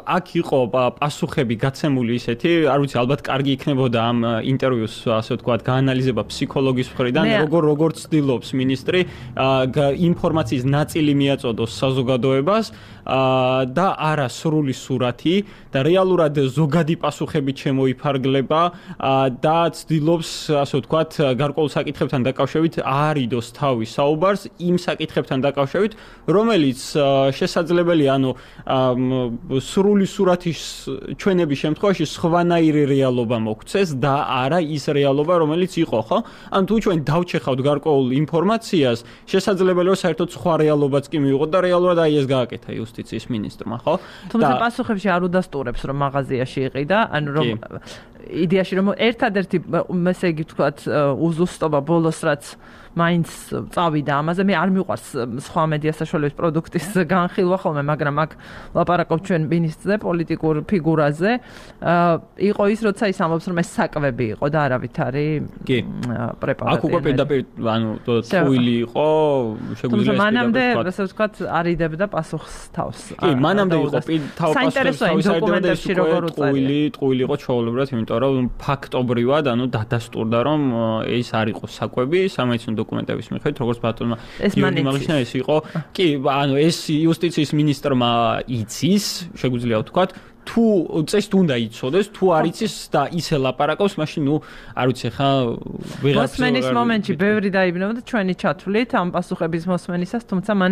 აქ იყო პასუხები გაცემული ისეთი, არ ვიცი, ალბათ კარგი იქნებოდა ამ ინტერვიუს, ასე ვთქვათ, გაანალიზება ფსიქოლოგის მხრიდან, როგორ ცდილობს მინისტრი ინფორმაციის ნაწილი მიაწოდოს საზოგადოებას და არა სრული სურათი და რეალურად ზოგადი პასუხები შემოიფარგლება და ცდილობს, ასე ვთქვათ, გარკვეულ საკითხებთან დაკავშირებით არიდოს თავის საუბარს იმ საკითხებთან დაკავშირებით, რომელიც შესაძლებელია, ანუ სრული სურათი ჩვენების შემთხვევაში სხვანაირი რეალობა მოგვცეს და არა ის რეალობა, რომელიც იყო, ხო? ან თუ ჩვენ დავჩეხავთ გარკვეულ ინფორმაციას, შესაძლებელია საერთოდ სხვა რეალობაც კი მივიღოთ და რეალურად აი ეს გააკეთა იუსტიციის მინისტრმა, ხო? თუმცა პასუხებში არ უდასტურებს, რომ მაღაზიაში იყიდა, ანუ რომ იდეაში რომ ერთადერთი ესე იგი ვთქვათ უზუსტობა ბოლოს რაც მაინც წავიდა ამაზე, მე არ მიყვარს სხვა მედია საშუალების პროდუქტის განხილვა ხოლმე, მაგრამ აქ ლაპარაკობ ჩვენ მინისტრზე, პოლიტიკურ ფიგურაზე, იყო ის, როცა ის ამბობს, რომ ეს საკვები იყო და არავითარი პრეპარატი. აქ უკვე პირდაპირ, ანუ ტყუილი იყო, შეგვიძლია ეს მანამდე, ასე ვთქვათ, არიდებდა პასუხს თავს. კი, მანამდე იყო პასუხს თავის დოკუმენტებში როგორ უწერია. ტყუილი იყო ჩვეულებრივად, იმიტომ რომ ფაქტობრივად, ანუ დადასტურდა, რომ ეს არ იყო საკვები, სამედიცინო დოკუმენტების მიხედვით, როგორც ბატონმა გიორგი მაღიშნაიას იყო. კი, ანუ ეს იუსტიციის მინისტრმა იცის, შეგვიძლია ვთქვათ, თუ წესით უნდა იცოდეს, თუ არ იცის და ისე ლაპარაკობს, მაშინ არ ვიცი ხა ვიღაც მოსმენის მომენტში ბევრი დაიბნევდა ჩვენი ჩათვლით ამ პასუხების მოსმენისას, თუმცა მან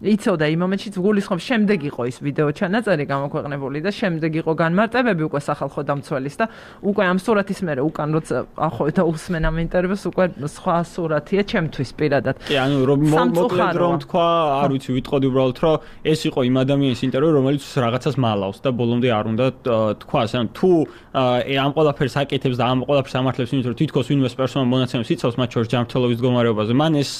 იცოდა იმ მომენტში გულისხმობს შემდეგ იყო ის ვიდეო ჩანაწერი გამოქვეყნებული და შემდეგ იყო განმარტებები უკვე სახალხო დამცველის და უკვე ამ სურათის მერე უკან როცა ახო და უსმენ ამ ინტერვიუს უკვე სხვა სურათია ჩემთვის პირადად. კი, ანუ მოკლედ რომ თქვა, არ ვიცი, ვიტყოდი უბრალოდ რომ ეს იყო იმ ადამიანის ინტერვიუ, რომელიც რაღაცას მალავს და ბოლომდე არ უნდა თქვას, ანუ თუ ამ ყველაფერს აკეთებს და ამ ყველაფერს ამართლებს, იმიტომ რომ თითქოს ვინმეს პერსონალ მონაცემებს იცავს მათ შორის ჯანმრთელობის მდგომარეობაზე, მან ეს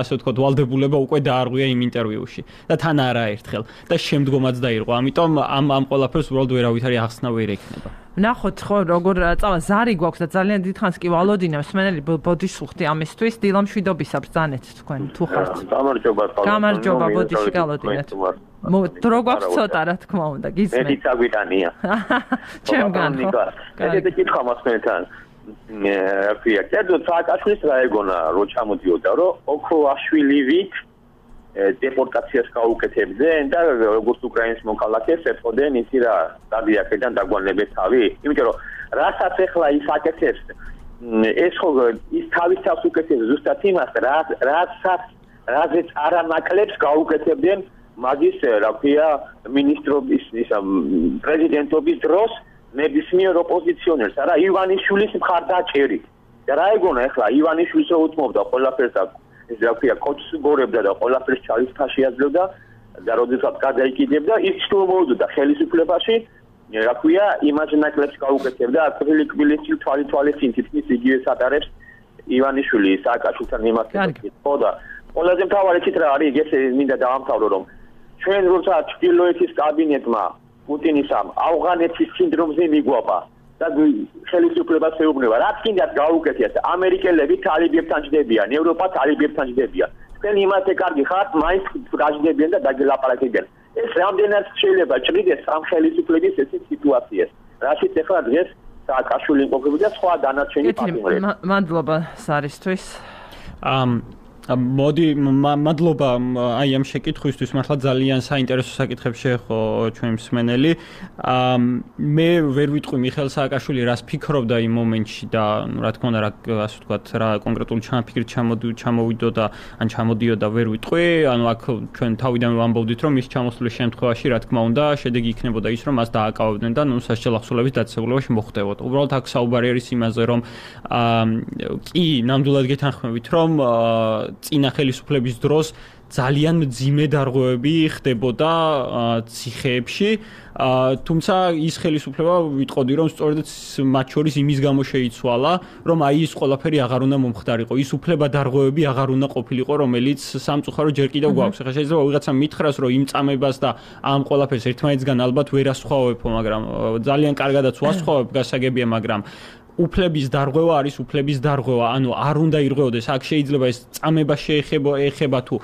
ასე ვთქვათ ვალდებულება უკვე დაარღვია იმ ინტერვიუში და თან არაერთხელ და შემდგომაც დაირღვა. ამიტომ ამ ყველაფერს უბრალოდ ვერავითარი ახსნა ვერ ექნება. ნახოთ ხო როგორ წავა ზარი გვაქვს და ძალიან დიდხანს კი ვალოდინებ მსმენელი ბოდიშუხტი ამისთვის დილამშვიდობისა ბრძანეთ თქვენ თუ ხართ. გამარჯობა ბოდიში გალოდინეთ. დრო გვაქვს ცოტა რა თქმა უნდა გისმენთ. მე წაგვიტანია. ჩემგან ხო. ეგეთი კითხვა მასმენთან. რა კერძო სააკაშვილის რა ეგონა რო ჩამოდიოდა რომ ოქროაშვილივით დეპორტაციას გაუკეთებდნენ და როგორც უკრაინის მოქალაქეს ეწოდნენ ისი რა დადიაკიდან დაგვანებეთ თავი იმიტომ რომ რასაც ახლა ის აკეთებს ეს ხო ის თავის თავს უკეთებს ზუსტად იმას რაზეც არანაკლებს გაუკეთებდნენ მაგის რა ქვია მინისტრობის ისა პრეზიდენტობის დროს ნებისმიერ ოპოზიციონერს არა ივანიშვილის მხარდაჭერით და რა ეგონა ახლა ივანიშვილს რო უთმობდა ყველაფერს და ეს რა ქვია კოჩს გორებდა და ყველაფერს ჩალის ფაში აძლევდა და როდესაც გადაიკიდებდა ის ჩუმოვდა ხელისუფლებაში რა ქვია იმას ნაკლებს გაუკეთებდა აკრილიკვილის თვალით თითქმის იგივე სატარებს ივანიშვილი სააკაშვილთან მიმართებით ხო და ყველაზე მთავარი ცით რა არის ეს მინდა დავამთავრო რომ ჩვენ როცა ჩრდილოეთის კაბინეტმა პუტინის ამ ავღანეთის სინდრომზე მიგვაპა და ხელისუფლებას ეუბნება რაც კიდაც გაუკეთიათ ამერიკელები თალიბებთან ჯდებიან ევროპა თალიბებთან ჯდებიან თქვენ იმათე კარგი ხართ მაინც გაჯდებიან და დაგელაპარაკებიან ეს რამდენად შეიძლება ჭრიდეს ამ ხელისუფლების ესეთ სიტუაციას რაშიც ახლა დღეს სააკაშვილი იმყოფება და სხვა დანარჩენი პარტნიორები მადლობა სარისთვის მოდი მადლობა აი ამ შეკითხვისთვის მართლა ძალიან საინტერესო საკითხებს შეეხო ჩვენ მსმენელი მე ვერ ვიტყვი მიხეილ სააკაშვილი რას ფიქრობდა იმ მომენტში და რა თქმა უნდა რა ასე ვთქვათ რა კონკრეტული ჩანაფიქრით ჩამოვიდოდა ან ჩამოდიოდა ვერ ვიტყვი ანუ აქ ჩვენ თავიდან ვამბობდით რომ ის ჩამოსulis შემთხვევაში რა თქმა უნდა შედეგი იქნებოდა ის რომ მას დააკავებდნენ და ნუ სასჯელ ახსოვლების დაწესებულებაში მოხდებოდა უბრალოდ აქ საუბარი არის იმაზე რომ კი ნამდვილად გეთანხმებით რომ წინა ხელისუფლების დროს ძალიან მძიმე დარღვევები ხდებოდა ციხეებში თუმცა ის ხელისუფლება ვიტყოდი რომ სწორედ მათ შორის იმის გამო შეიცვალა რომ აი ის ყველაფერი აღარ უნდა მომხდარიყო ის უფლება დარღვევები აღარ უნდა ყოფილიყო რომელიც სამწუხარო ჯერ კიდევ გვაქვს ახლა შეიძლება ვიღაცამ მითხრას რომ იმ წამებას და ამ ყველაფერს ერთმანეთსგან ალბათ ვერ ასხვავებო მაგრამ ძალიან კარგადაც ვასხვავებ გასაგებია მაგრამ უფლების დარღვევა არის უფლების დარღვევა, ანუ არ უნდა ირღვეოდეს, აქ შეიძლება ეს წამება შეეხება თუ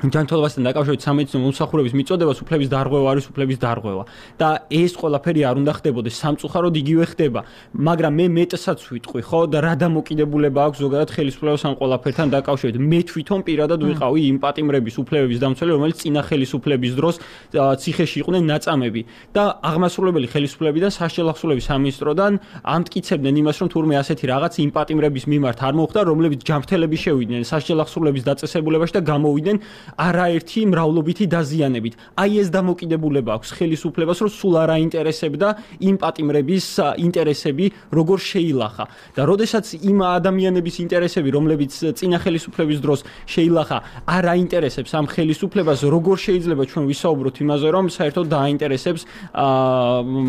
ჯანმრთელობასთან დაკავშირებით სამედიცინო მომსახურების მიწოდებას უფლების დარღვევა არის უფლების დარღვევა და ეს ყველაფერი არ უნდა ხდებოდეს სამწუხაროდ იგივე ხდება მაგრამ მე მეტსაც ვიტყვი ხო და რა დამოკიდებულება აქვს ზოგადად ხელისუფლებას ამ ყველაფერთან დაკავშირებით მე თვითონ პირადად ვიყავი იმ პატიმრების უფლებების დამცველი რომელიც წინა ხელისუფლების დროს ციხეში იყვნენ ნაწამები და აღმასრულებელი ხელისუფლები და სასჯელ ახსოვლების სამინისტროდან ამტკიცებდნენ იმას რომ თურმე ასეთი რაღაც იმ პატიმრების მიმართ არ მოხდა რომლებიც ჯანმრთელები შევიდნენ სასჯელ ახსოვლების დაწესებულებაში და გამოვიდნენ არაერთი მრავლობითი დაზიანებით. აი ეს დამოკიდებულება აქვს ხელისუფლებას, რომ სულ არ აინტერესებდა იმ პატიმრების ინტერესები, როგორ შეილახა. და როდესაც იმ ადამიანების ინტერესები, რომლებიც წინა ხელისუფლების დროს შეილახა, არ აინტერესებს ამ ხელისუფლებას, როგორ შეიძლება ჩვენ ვისაუბროთ იმაზე, რომ საერთოდ დააინტერესებს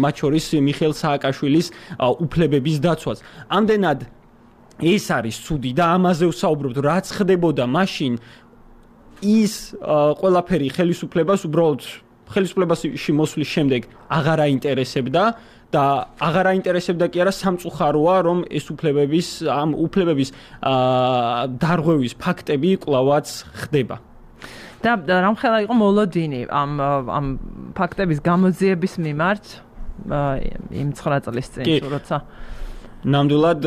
მათ შორის მიხეილ სააკაშვილის უფლებების დაცვას. ამდენად ეს არის ცუდი და ამაზე ვსაუბრობთ, რაც ხდებოდა მაშინ ის ყველაფერი ხელისუფლებას უბრალოდ ხელისუფლებაში მოსვლის შემდეგ აღარ აინტერესებდა და აღარ აინტერესებდა კი არა სამწუხაროა რომ ეს უფლებების დარღვევის ფაქტები კვლავაც ხდება და რამხელა იყო მოლოდინი ამ ფაქტების გამოძიების მიმართ იმ 9 წლის წინ როცა ნამდვილად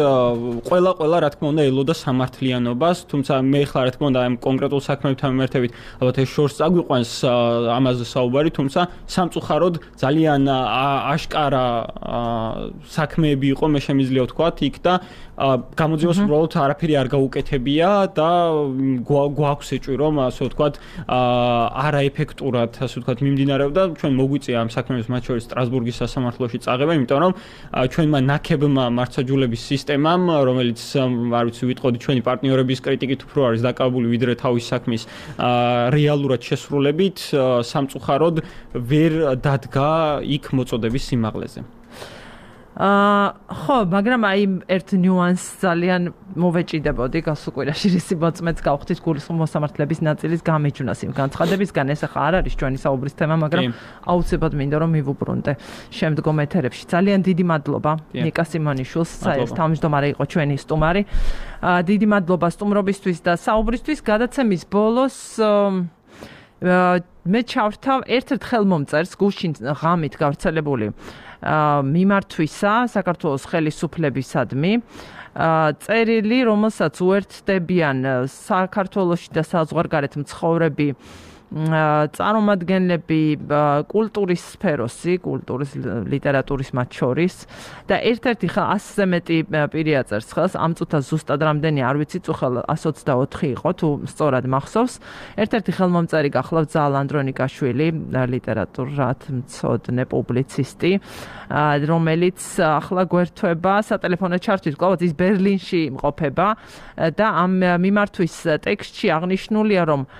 ყველა რა თქმა უნდა ელოდა სამართლიანობას, თუმცა მე ხლა რა თქმა უნდა ამ კონკრეტულ საქმეებთან მიმართებით ალბათ ეს შორს წაგვიყვანს ამაზე საუბარი, თუმცა სამწუხაროდ ძალიან აშკარა საქმეები იყო, მე შემიძლია ვთქვათ იქ და გამოძიებას უბრალოდ არაფერი არ გაუკეთებია და გვაქვს ეჭვი რომ ასე ვთქვათ არაეფექტურად ასე ვთქვათ მიმდინარეობდა, ჩვენ მოგვიწია ამ საქმეებს მათ შორის სტრასბურგის სასამართლოში წაღება, იმიტომ რომ ჩვენმა ნაკებმა მართლმსაჯულების სისტემამ, რომელიც არ ვიცი ვიტყოდი ჩვენი პარტნიორების კრიტიკით უფრო არის დაკავებული ვიდრე თავის საქმის რეალურად შესრულებით, სამწუხაროდ ვერ დადგა იქ მოწოდების სიმაღლეზე. ხო, მაგრამ აი ერთ ნიუანსს ძალიან მოვეჭიდებოდი გასულ კვირაში რისი მოწმეც გავხდით გულისხმობ მოსამართლეების ნაწილის გამიჯვნას იმ განცხადებისგან, ეს ახლა არ არის ჩვენი საუბრის თემა, მაგრამ აუცილებლად მინდა რომ მივუბრუნდე შემდგომ ეთერებში. ძალიან დიდი მადლობა ნიკა სიმონიშვილს, თავმჯდომარე იყო ჩვენი სტუმარი. დიდი მადლობა სტუმრობისთვის და საუბრისთვის. გადაცემის ბოლოს მე ჩავრთავ ერთ-ერთ ხელმომწერს გუშინ ღამით გავრცელებული მიმართვისა საქართველოს ხელისუფლებისადმი წერილი, რომელსაც უერთდებიან საქართველოში და საზღვარგარეთ მცხოვრები წარმომადგენლები კულტურის სფეროსი, კულტურის, ლიტერატურის მათ შორის და ერთ-ერთი 100-ზე მეტი პირი აწერს ხელს, ამ წუთას ზუსტად რამდენი არ ვიცი, წუხელ 124 იყო, თუ სწორად მახსოვს. ერთ-ერთი ხელმომწერი გახლავთ ზაალ ანდრონიკაშვილი, ლიტერატურად მცოდნე პუბლიცისტი, რომელიც ახლა გვერდება სატელეფონო ჩართვით, კვლავ ის ბერლინში იმყოფება და ამ მიმართვის ტექსტში აღნიშნულია, რომ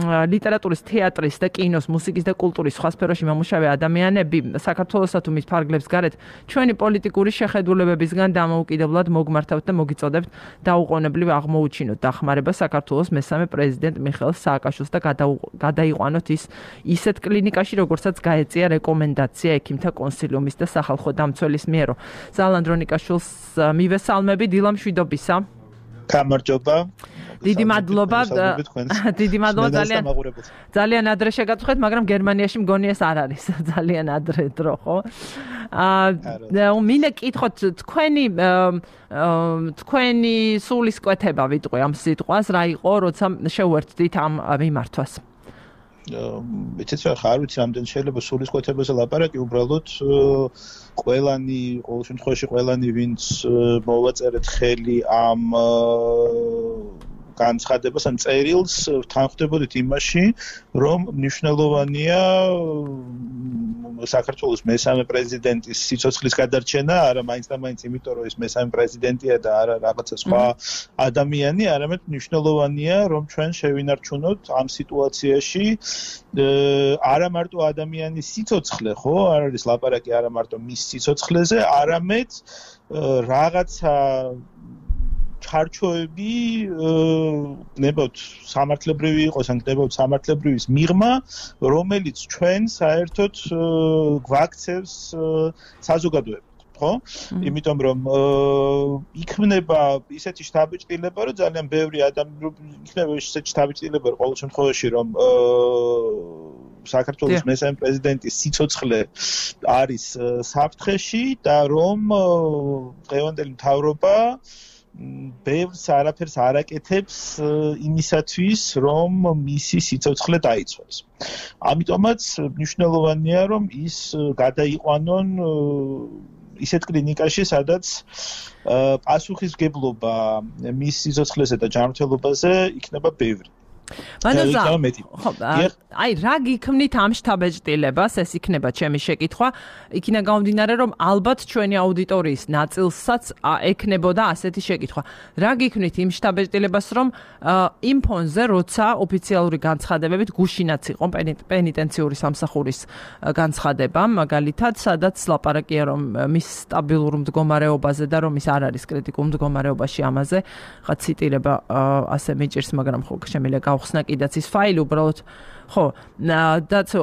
ლიტერატურის, თეატრის და კინოს, მუსიკის და კულტურის სხვა სფეროში მომუშავე ადამიანები საქართველოსა თუ მის ფარგლებს გარეთ ჩვენი პოლიტიკური შეხედულებებისგან დამოუკიდებლად მოგმართავთ და მოგიწოდებთ დაუყოვნებლივ აღმოუჩინოთ დახმარება საქართველოს მესამე პრეზიდენტ მიხეილ სააკაშვილს და გადაიყვანოთ ის ისეთ კლინიკაში, როგორცაც გაეწია რეკომენდაცია ექიმთა კონსილიუმის და სახალხო დამცველის მიერო. ზაალ ანდრონიკაშვილს მივესალმები, დილა მშვიდობისა. გამარჯობა. დიდი მადლობა ძალიან ადრე შეგაწუხეთ, მაგრამ გერმანიაში მგონი ეს არ არის ძალიან ადრე დრო, ხო? მინდა კითხოთ თქვენი სულისკვეთება ვიტყვი ამ სიტყვას, რა იყო, როცა შეუერთდით ამ მიმართვას? იცით რა, არ ვიცი რამდენი შეიძლება სულისკვეთებაზე ლაპარაკი, უბრალოდ ყველანი, ყოველ შემთხვევაში ყველანი, ვინც მოვაწერეთ ხელი ამ განცხადებას ან წერილს, თანხმდებოდით იმაში, რომ მნიშვნელოვანია საქართველოს მესამე პრეზიდენტის სიცოცხლის გადარჩენა, არა მაინც და მაინც იმიტომ, რომ ის მესამე პრეზიდენტია და არა რაღაცა სხვა ადამიანი, არამედ მნიშვნელოვანია, რომ ჩვენ შევინარჩუნოთ ამ სიტუაციაში არა მარტო ადამიანის სიცოცხლე, ხო, არ არის ლაპარაკი არა მარტო მის სიცოცხლეზე, არამედ რაღაცა ჩარჩოები ნებავთ სამართლებრივი იყოს, ან ნებავთ სამართლებრივის მიღმა, რომელიც ჩვენ საერთოდ გვაქცევს საზოგადოებად, ხო? იმიტომ რომ იქნება ისეთი შთაბეჭდილება, რომ ძალიან ბევრი იქნება ისეთი შთაბეჭდილება, ყოველ შემთხვევაში, რომ საქართველოს მესამე პრეზიდენტის სიცოცხლე არის საფრთხეში და რომ დღევანდელი მთავრობა ბევრს არაფერს არ აკეთებს იმისათვის, რომ მისი სიცოცხლე დაიცვალოს. ამიტომაც მნიშვნელოვანია, რომ ის გადაიყვანონ ისეთ კლინიკაში, სადაც პასუხისმგებლობა მის სიცოცხლეზე და ჯანმრთელობაზე იქნება ბევრი. აი რა გიქმნით ამ შთაბეჭდილებას, ეს იქნება ჩემი შეკითხვა, იქიდან გამომდინარე, რომ ალბათ ჩვენი აუდიტორიის ნაწილსაც ექნებოდა ასეთი შეკითხვა. რა გიქმნით იმ შთაბეჭდილებას, რომ იმ ფონზე, როცა ოფიციალური განცხადებებით გუშინაც იყო პენიტენციური სამსახურის განცხადება, მაგალითად, სადაც ლაპარაკია, რომ მის სტაბილურ მდგომარეობაზე და რომ ის არ არის კრიტიკულ მდგომარეობაში ამაზე, ხა ციტირება ასე მიჭირს, მაგრამ ხო შემიძლია მოხსნა კიდაც ის ფაილი უბრალოდ ხო დაცო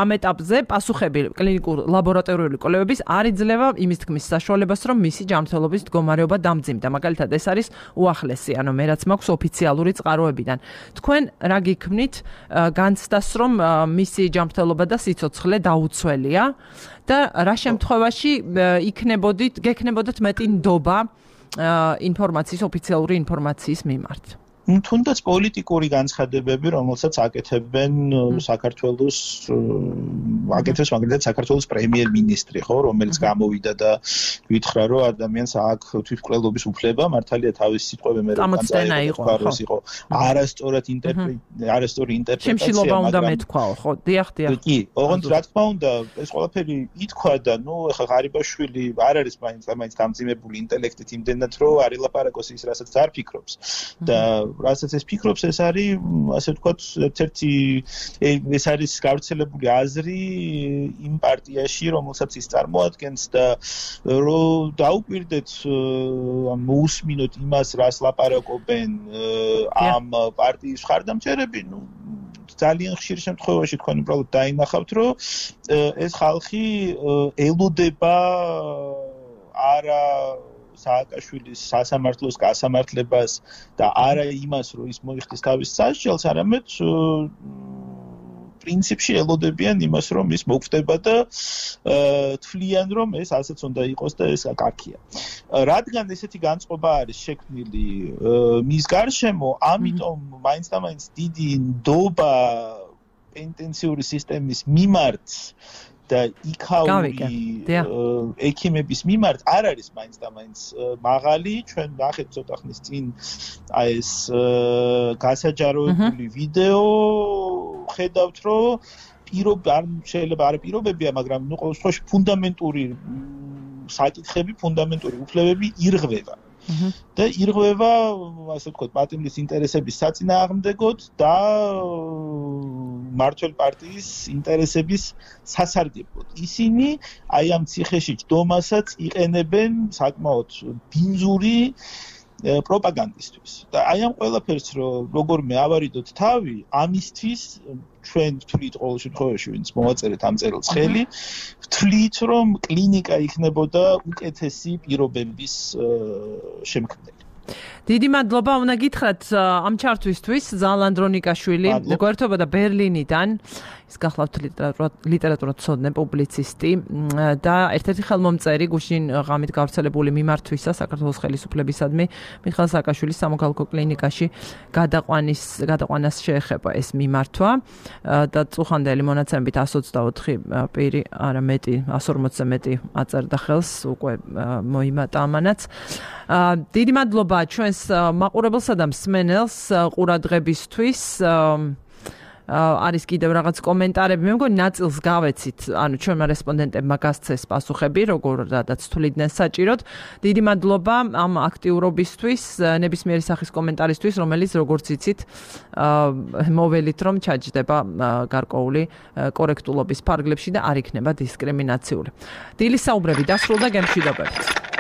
ამ ეტაპზე პასუხები კლინიკურ ლაბორატორიული კვლევების არ იძლევა იმის თქმის საშუალებას რომ მისი ჯანმრთელობის მდგომარეობა დამძიმდა მაგალითად ეს არის უახლესი ანუ მე რაც მაქვს ოფიციალური წყაროებიდან თქვენ რა გიქმნით განცდას რომ მისი ჯანმრთელობა და სიცოცხლე დაუცველია და რა შემთხვევაში გექნებოდეთ მეტი ნდობა ინფორმაციის ოფიციალური ინფორმაციის მიმართ თუნდაც პოლიტიკური განცხადებები, რომელსაც აკეთებენ საქართველოს აკეთებს მაგალითად საქართველოს პრემიერ-მინისტრი, ხო, რომელიც გამოვიდა და ვითხრა, რომ ადამიანს აქვს თვითმკვლელობის უფლება, მართალია თავის სიტყვები მე რომ განსაკუთრებით იყო. არასწორი ინტერპრეტაცია. შემშილობა უნდა მეთქვაო, ხო, დიახ. კი, ოღონდ რა თქმა უნდა, ეს ყველაფერი ითქვა და ნუ ეხლა ღარიბაშვილი არ არის მაინც დამძიმებული ინტელექტით იმდენად, რომ არ ელაპარაკოს ის, რასაც არ ფიქრობს. და რასაც ეს ფიქრობს, ეს არის, ასე ვთქვათ, ეს არის გავრცელებული აზრი იმ პარტიაში, რომელსაც ის წარმოადგენს და რომ დაუკვირდეთ მოусმინოთ იმას, რას ლაპარაკობენ ამ პარტიის მხარდამჭერები, ნუ ძალიან ხშირ შემთხვევაში თქვენ უბრალოდ დაინახავთ, რომ ეს ხალხი ელოდება არა სააკაშვილის სასამართლოს გასამართლებას და არა იმას, რომ ის მოიხდის თავის სასჯელს, არამედ პრინციპში ელოდებიან იმას, რომ ის მოგვდება და თვლიან, რომ ეს ასეც უნდა იყოს და ეს კაკია. რადგან ესეთი განწყობა არის შექმნილი მის გარშემო, ამიტომ მაინც და მაინც დიდი ნდობა პენტენციური სისტემის მიმართ და იქაური ექიმების მიმართ არ არის მაინც და მაინც მაღალი ჩვენ ნახეთ ცოტა ხნის წინ ეს გასაჯაროებული ვიდეო ხედავთ რომ შეიძლება არ პირობებია მაგრამ ნუ ყოველ შემთხვევაში ფუნდამენტური საკითხები ფუნდამენტური უფლებები ირღვევა და ირღვევა ასე ვთქვათ პატიმრის ინტერესების საწინააღმდეგოდ და მართველ პარტიის ინტერესების სასარგებლოდ. ისინი აი ამ ციხეში ჯდომასაც იყენებენ საკმაოდ ბინძური პროპაგანდისთვის. და აი ამ ყველაფერს როგორმე ავარიდოთ თავი, ამისთვის ჩვენ ვთვლით ყოველ შემთხვევაში ვინც მოვაწერეთ ამ წერილს ხელი, ვთვლით რომ კლინიკა იქნებოდა უკეთესი პირობების შემქმნელი. დიდი მადლობა უნდა გითხრათ ამ ჩართვისთვის ზალან დრონიკაშვილი გვერდთობოდა ბერლინიდან ის გახლავთ ლიტერატურათმცოდნე პუბლიცისტი და ერთ-ერთი ხელმომწერი გუშინ ღამით გავრცელებული მიმართვისა საქართველოს ხელისუფლებისადმი მიხეილ სააკაშვილის სამოქალაქო კლინიკაში გადაყვანას შეეხება ეს მიმართვა და წუხანდელი მონაცემებით 124 პირი არა მეტი 140-ზე მეტი აწერდა ხელს უკვე მოიმატა ამანაც დიდი მადლობა ჩვენს მაყურებელსა და მსმენელს ყურადღებისთვის არის კიდევ რაღაც კომენტარები მე მგონი ნაწილს გავეცით ანუ ჩვენმა რესპონდენტებმა გასცეს პასუხები როგორადაც თვლიდნენ საჭიროდ დიდი მადლობა ამ აქტიურობისთვის ნებისმიერი სახის კომენტარისთვის რომელიც როგორც იცით მოველით რომ ჩაჯდება გარკვეული კორექტულობის ფარგლებში და არ იქნება დისკრიმინაციული დილის საუბრები დასრულდა გემშვიდობებით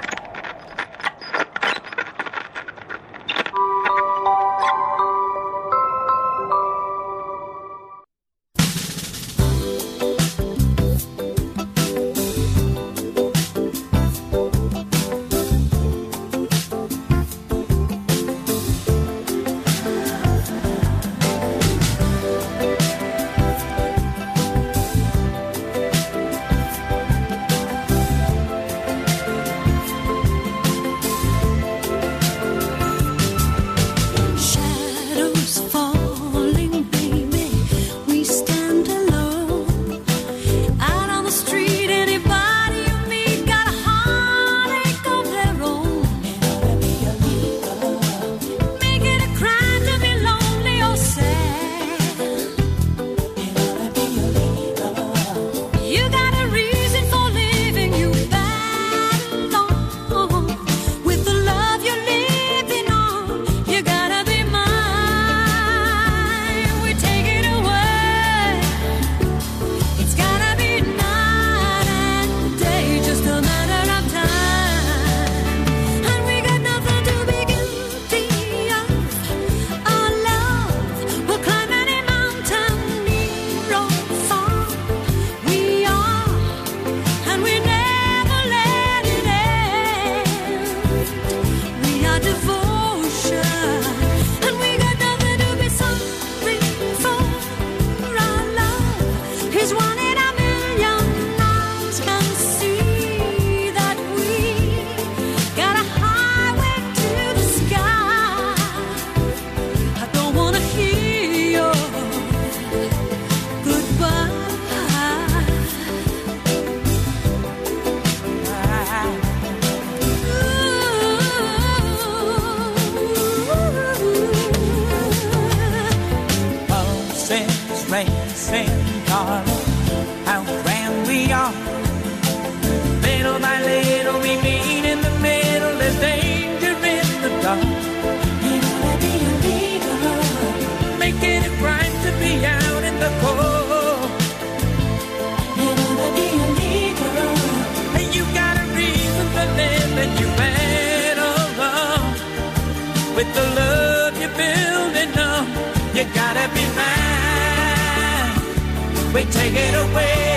with the love you're building up. You gotta be mine. We take it away.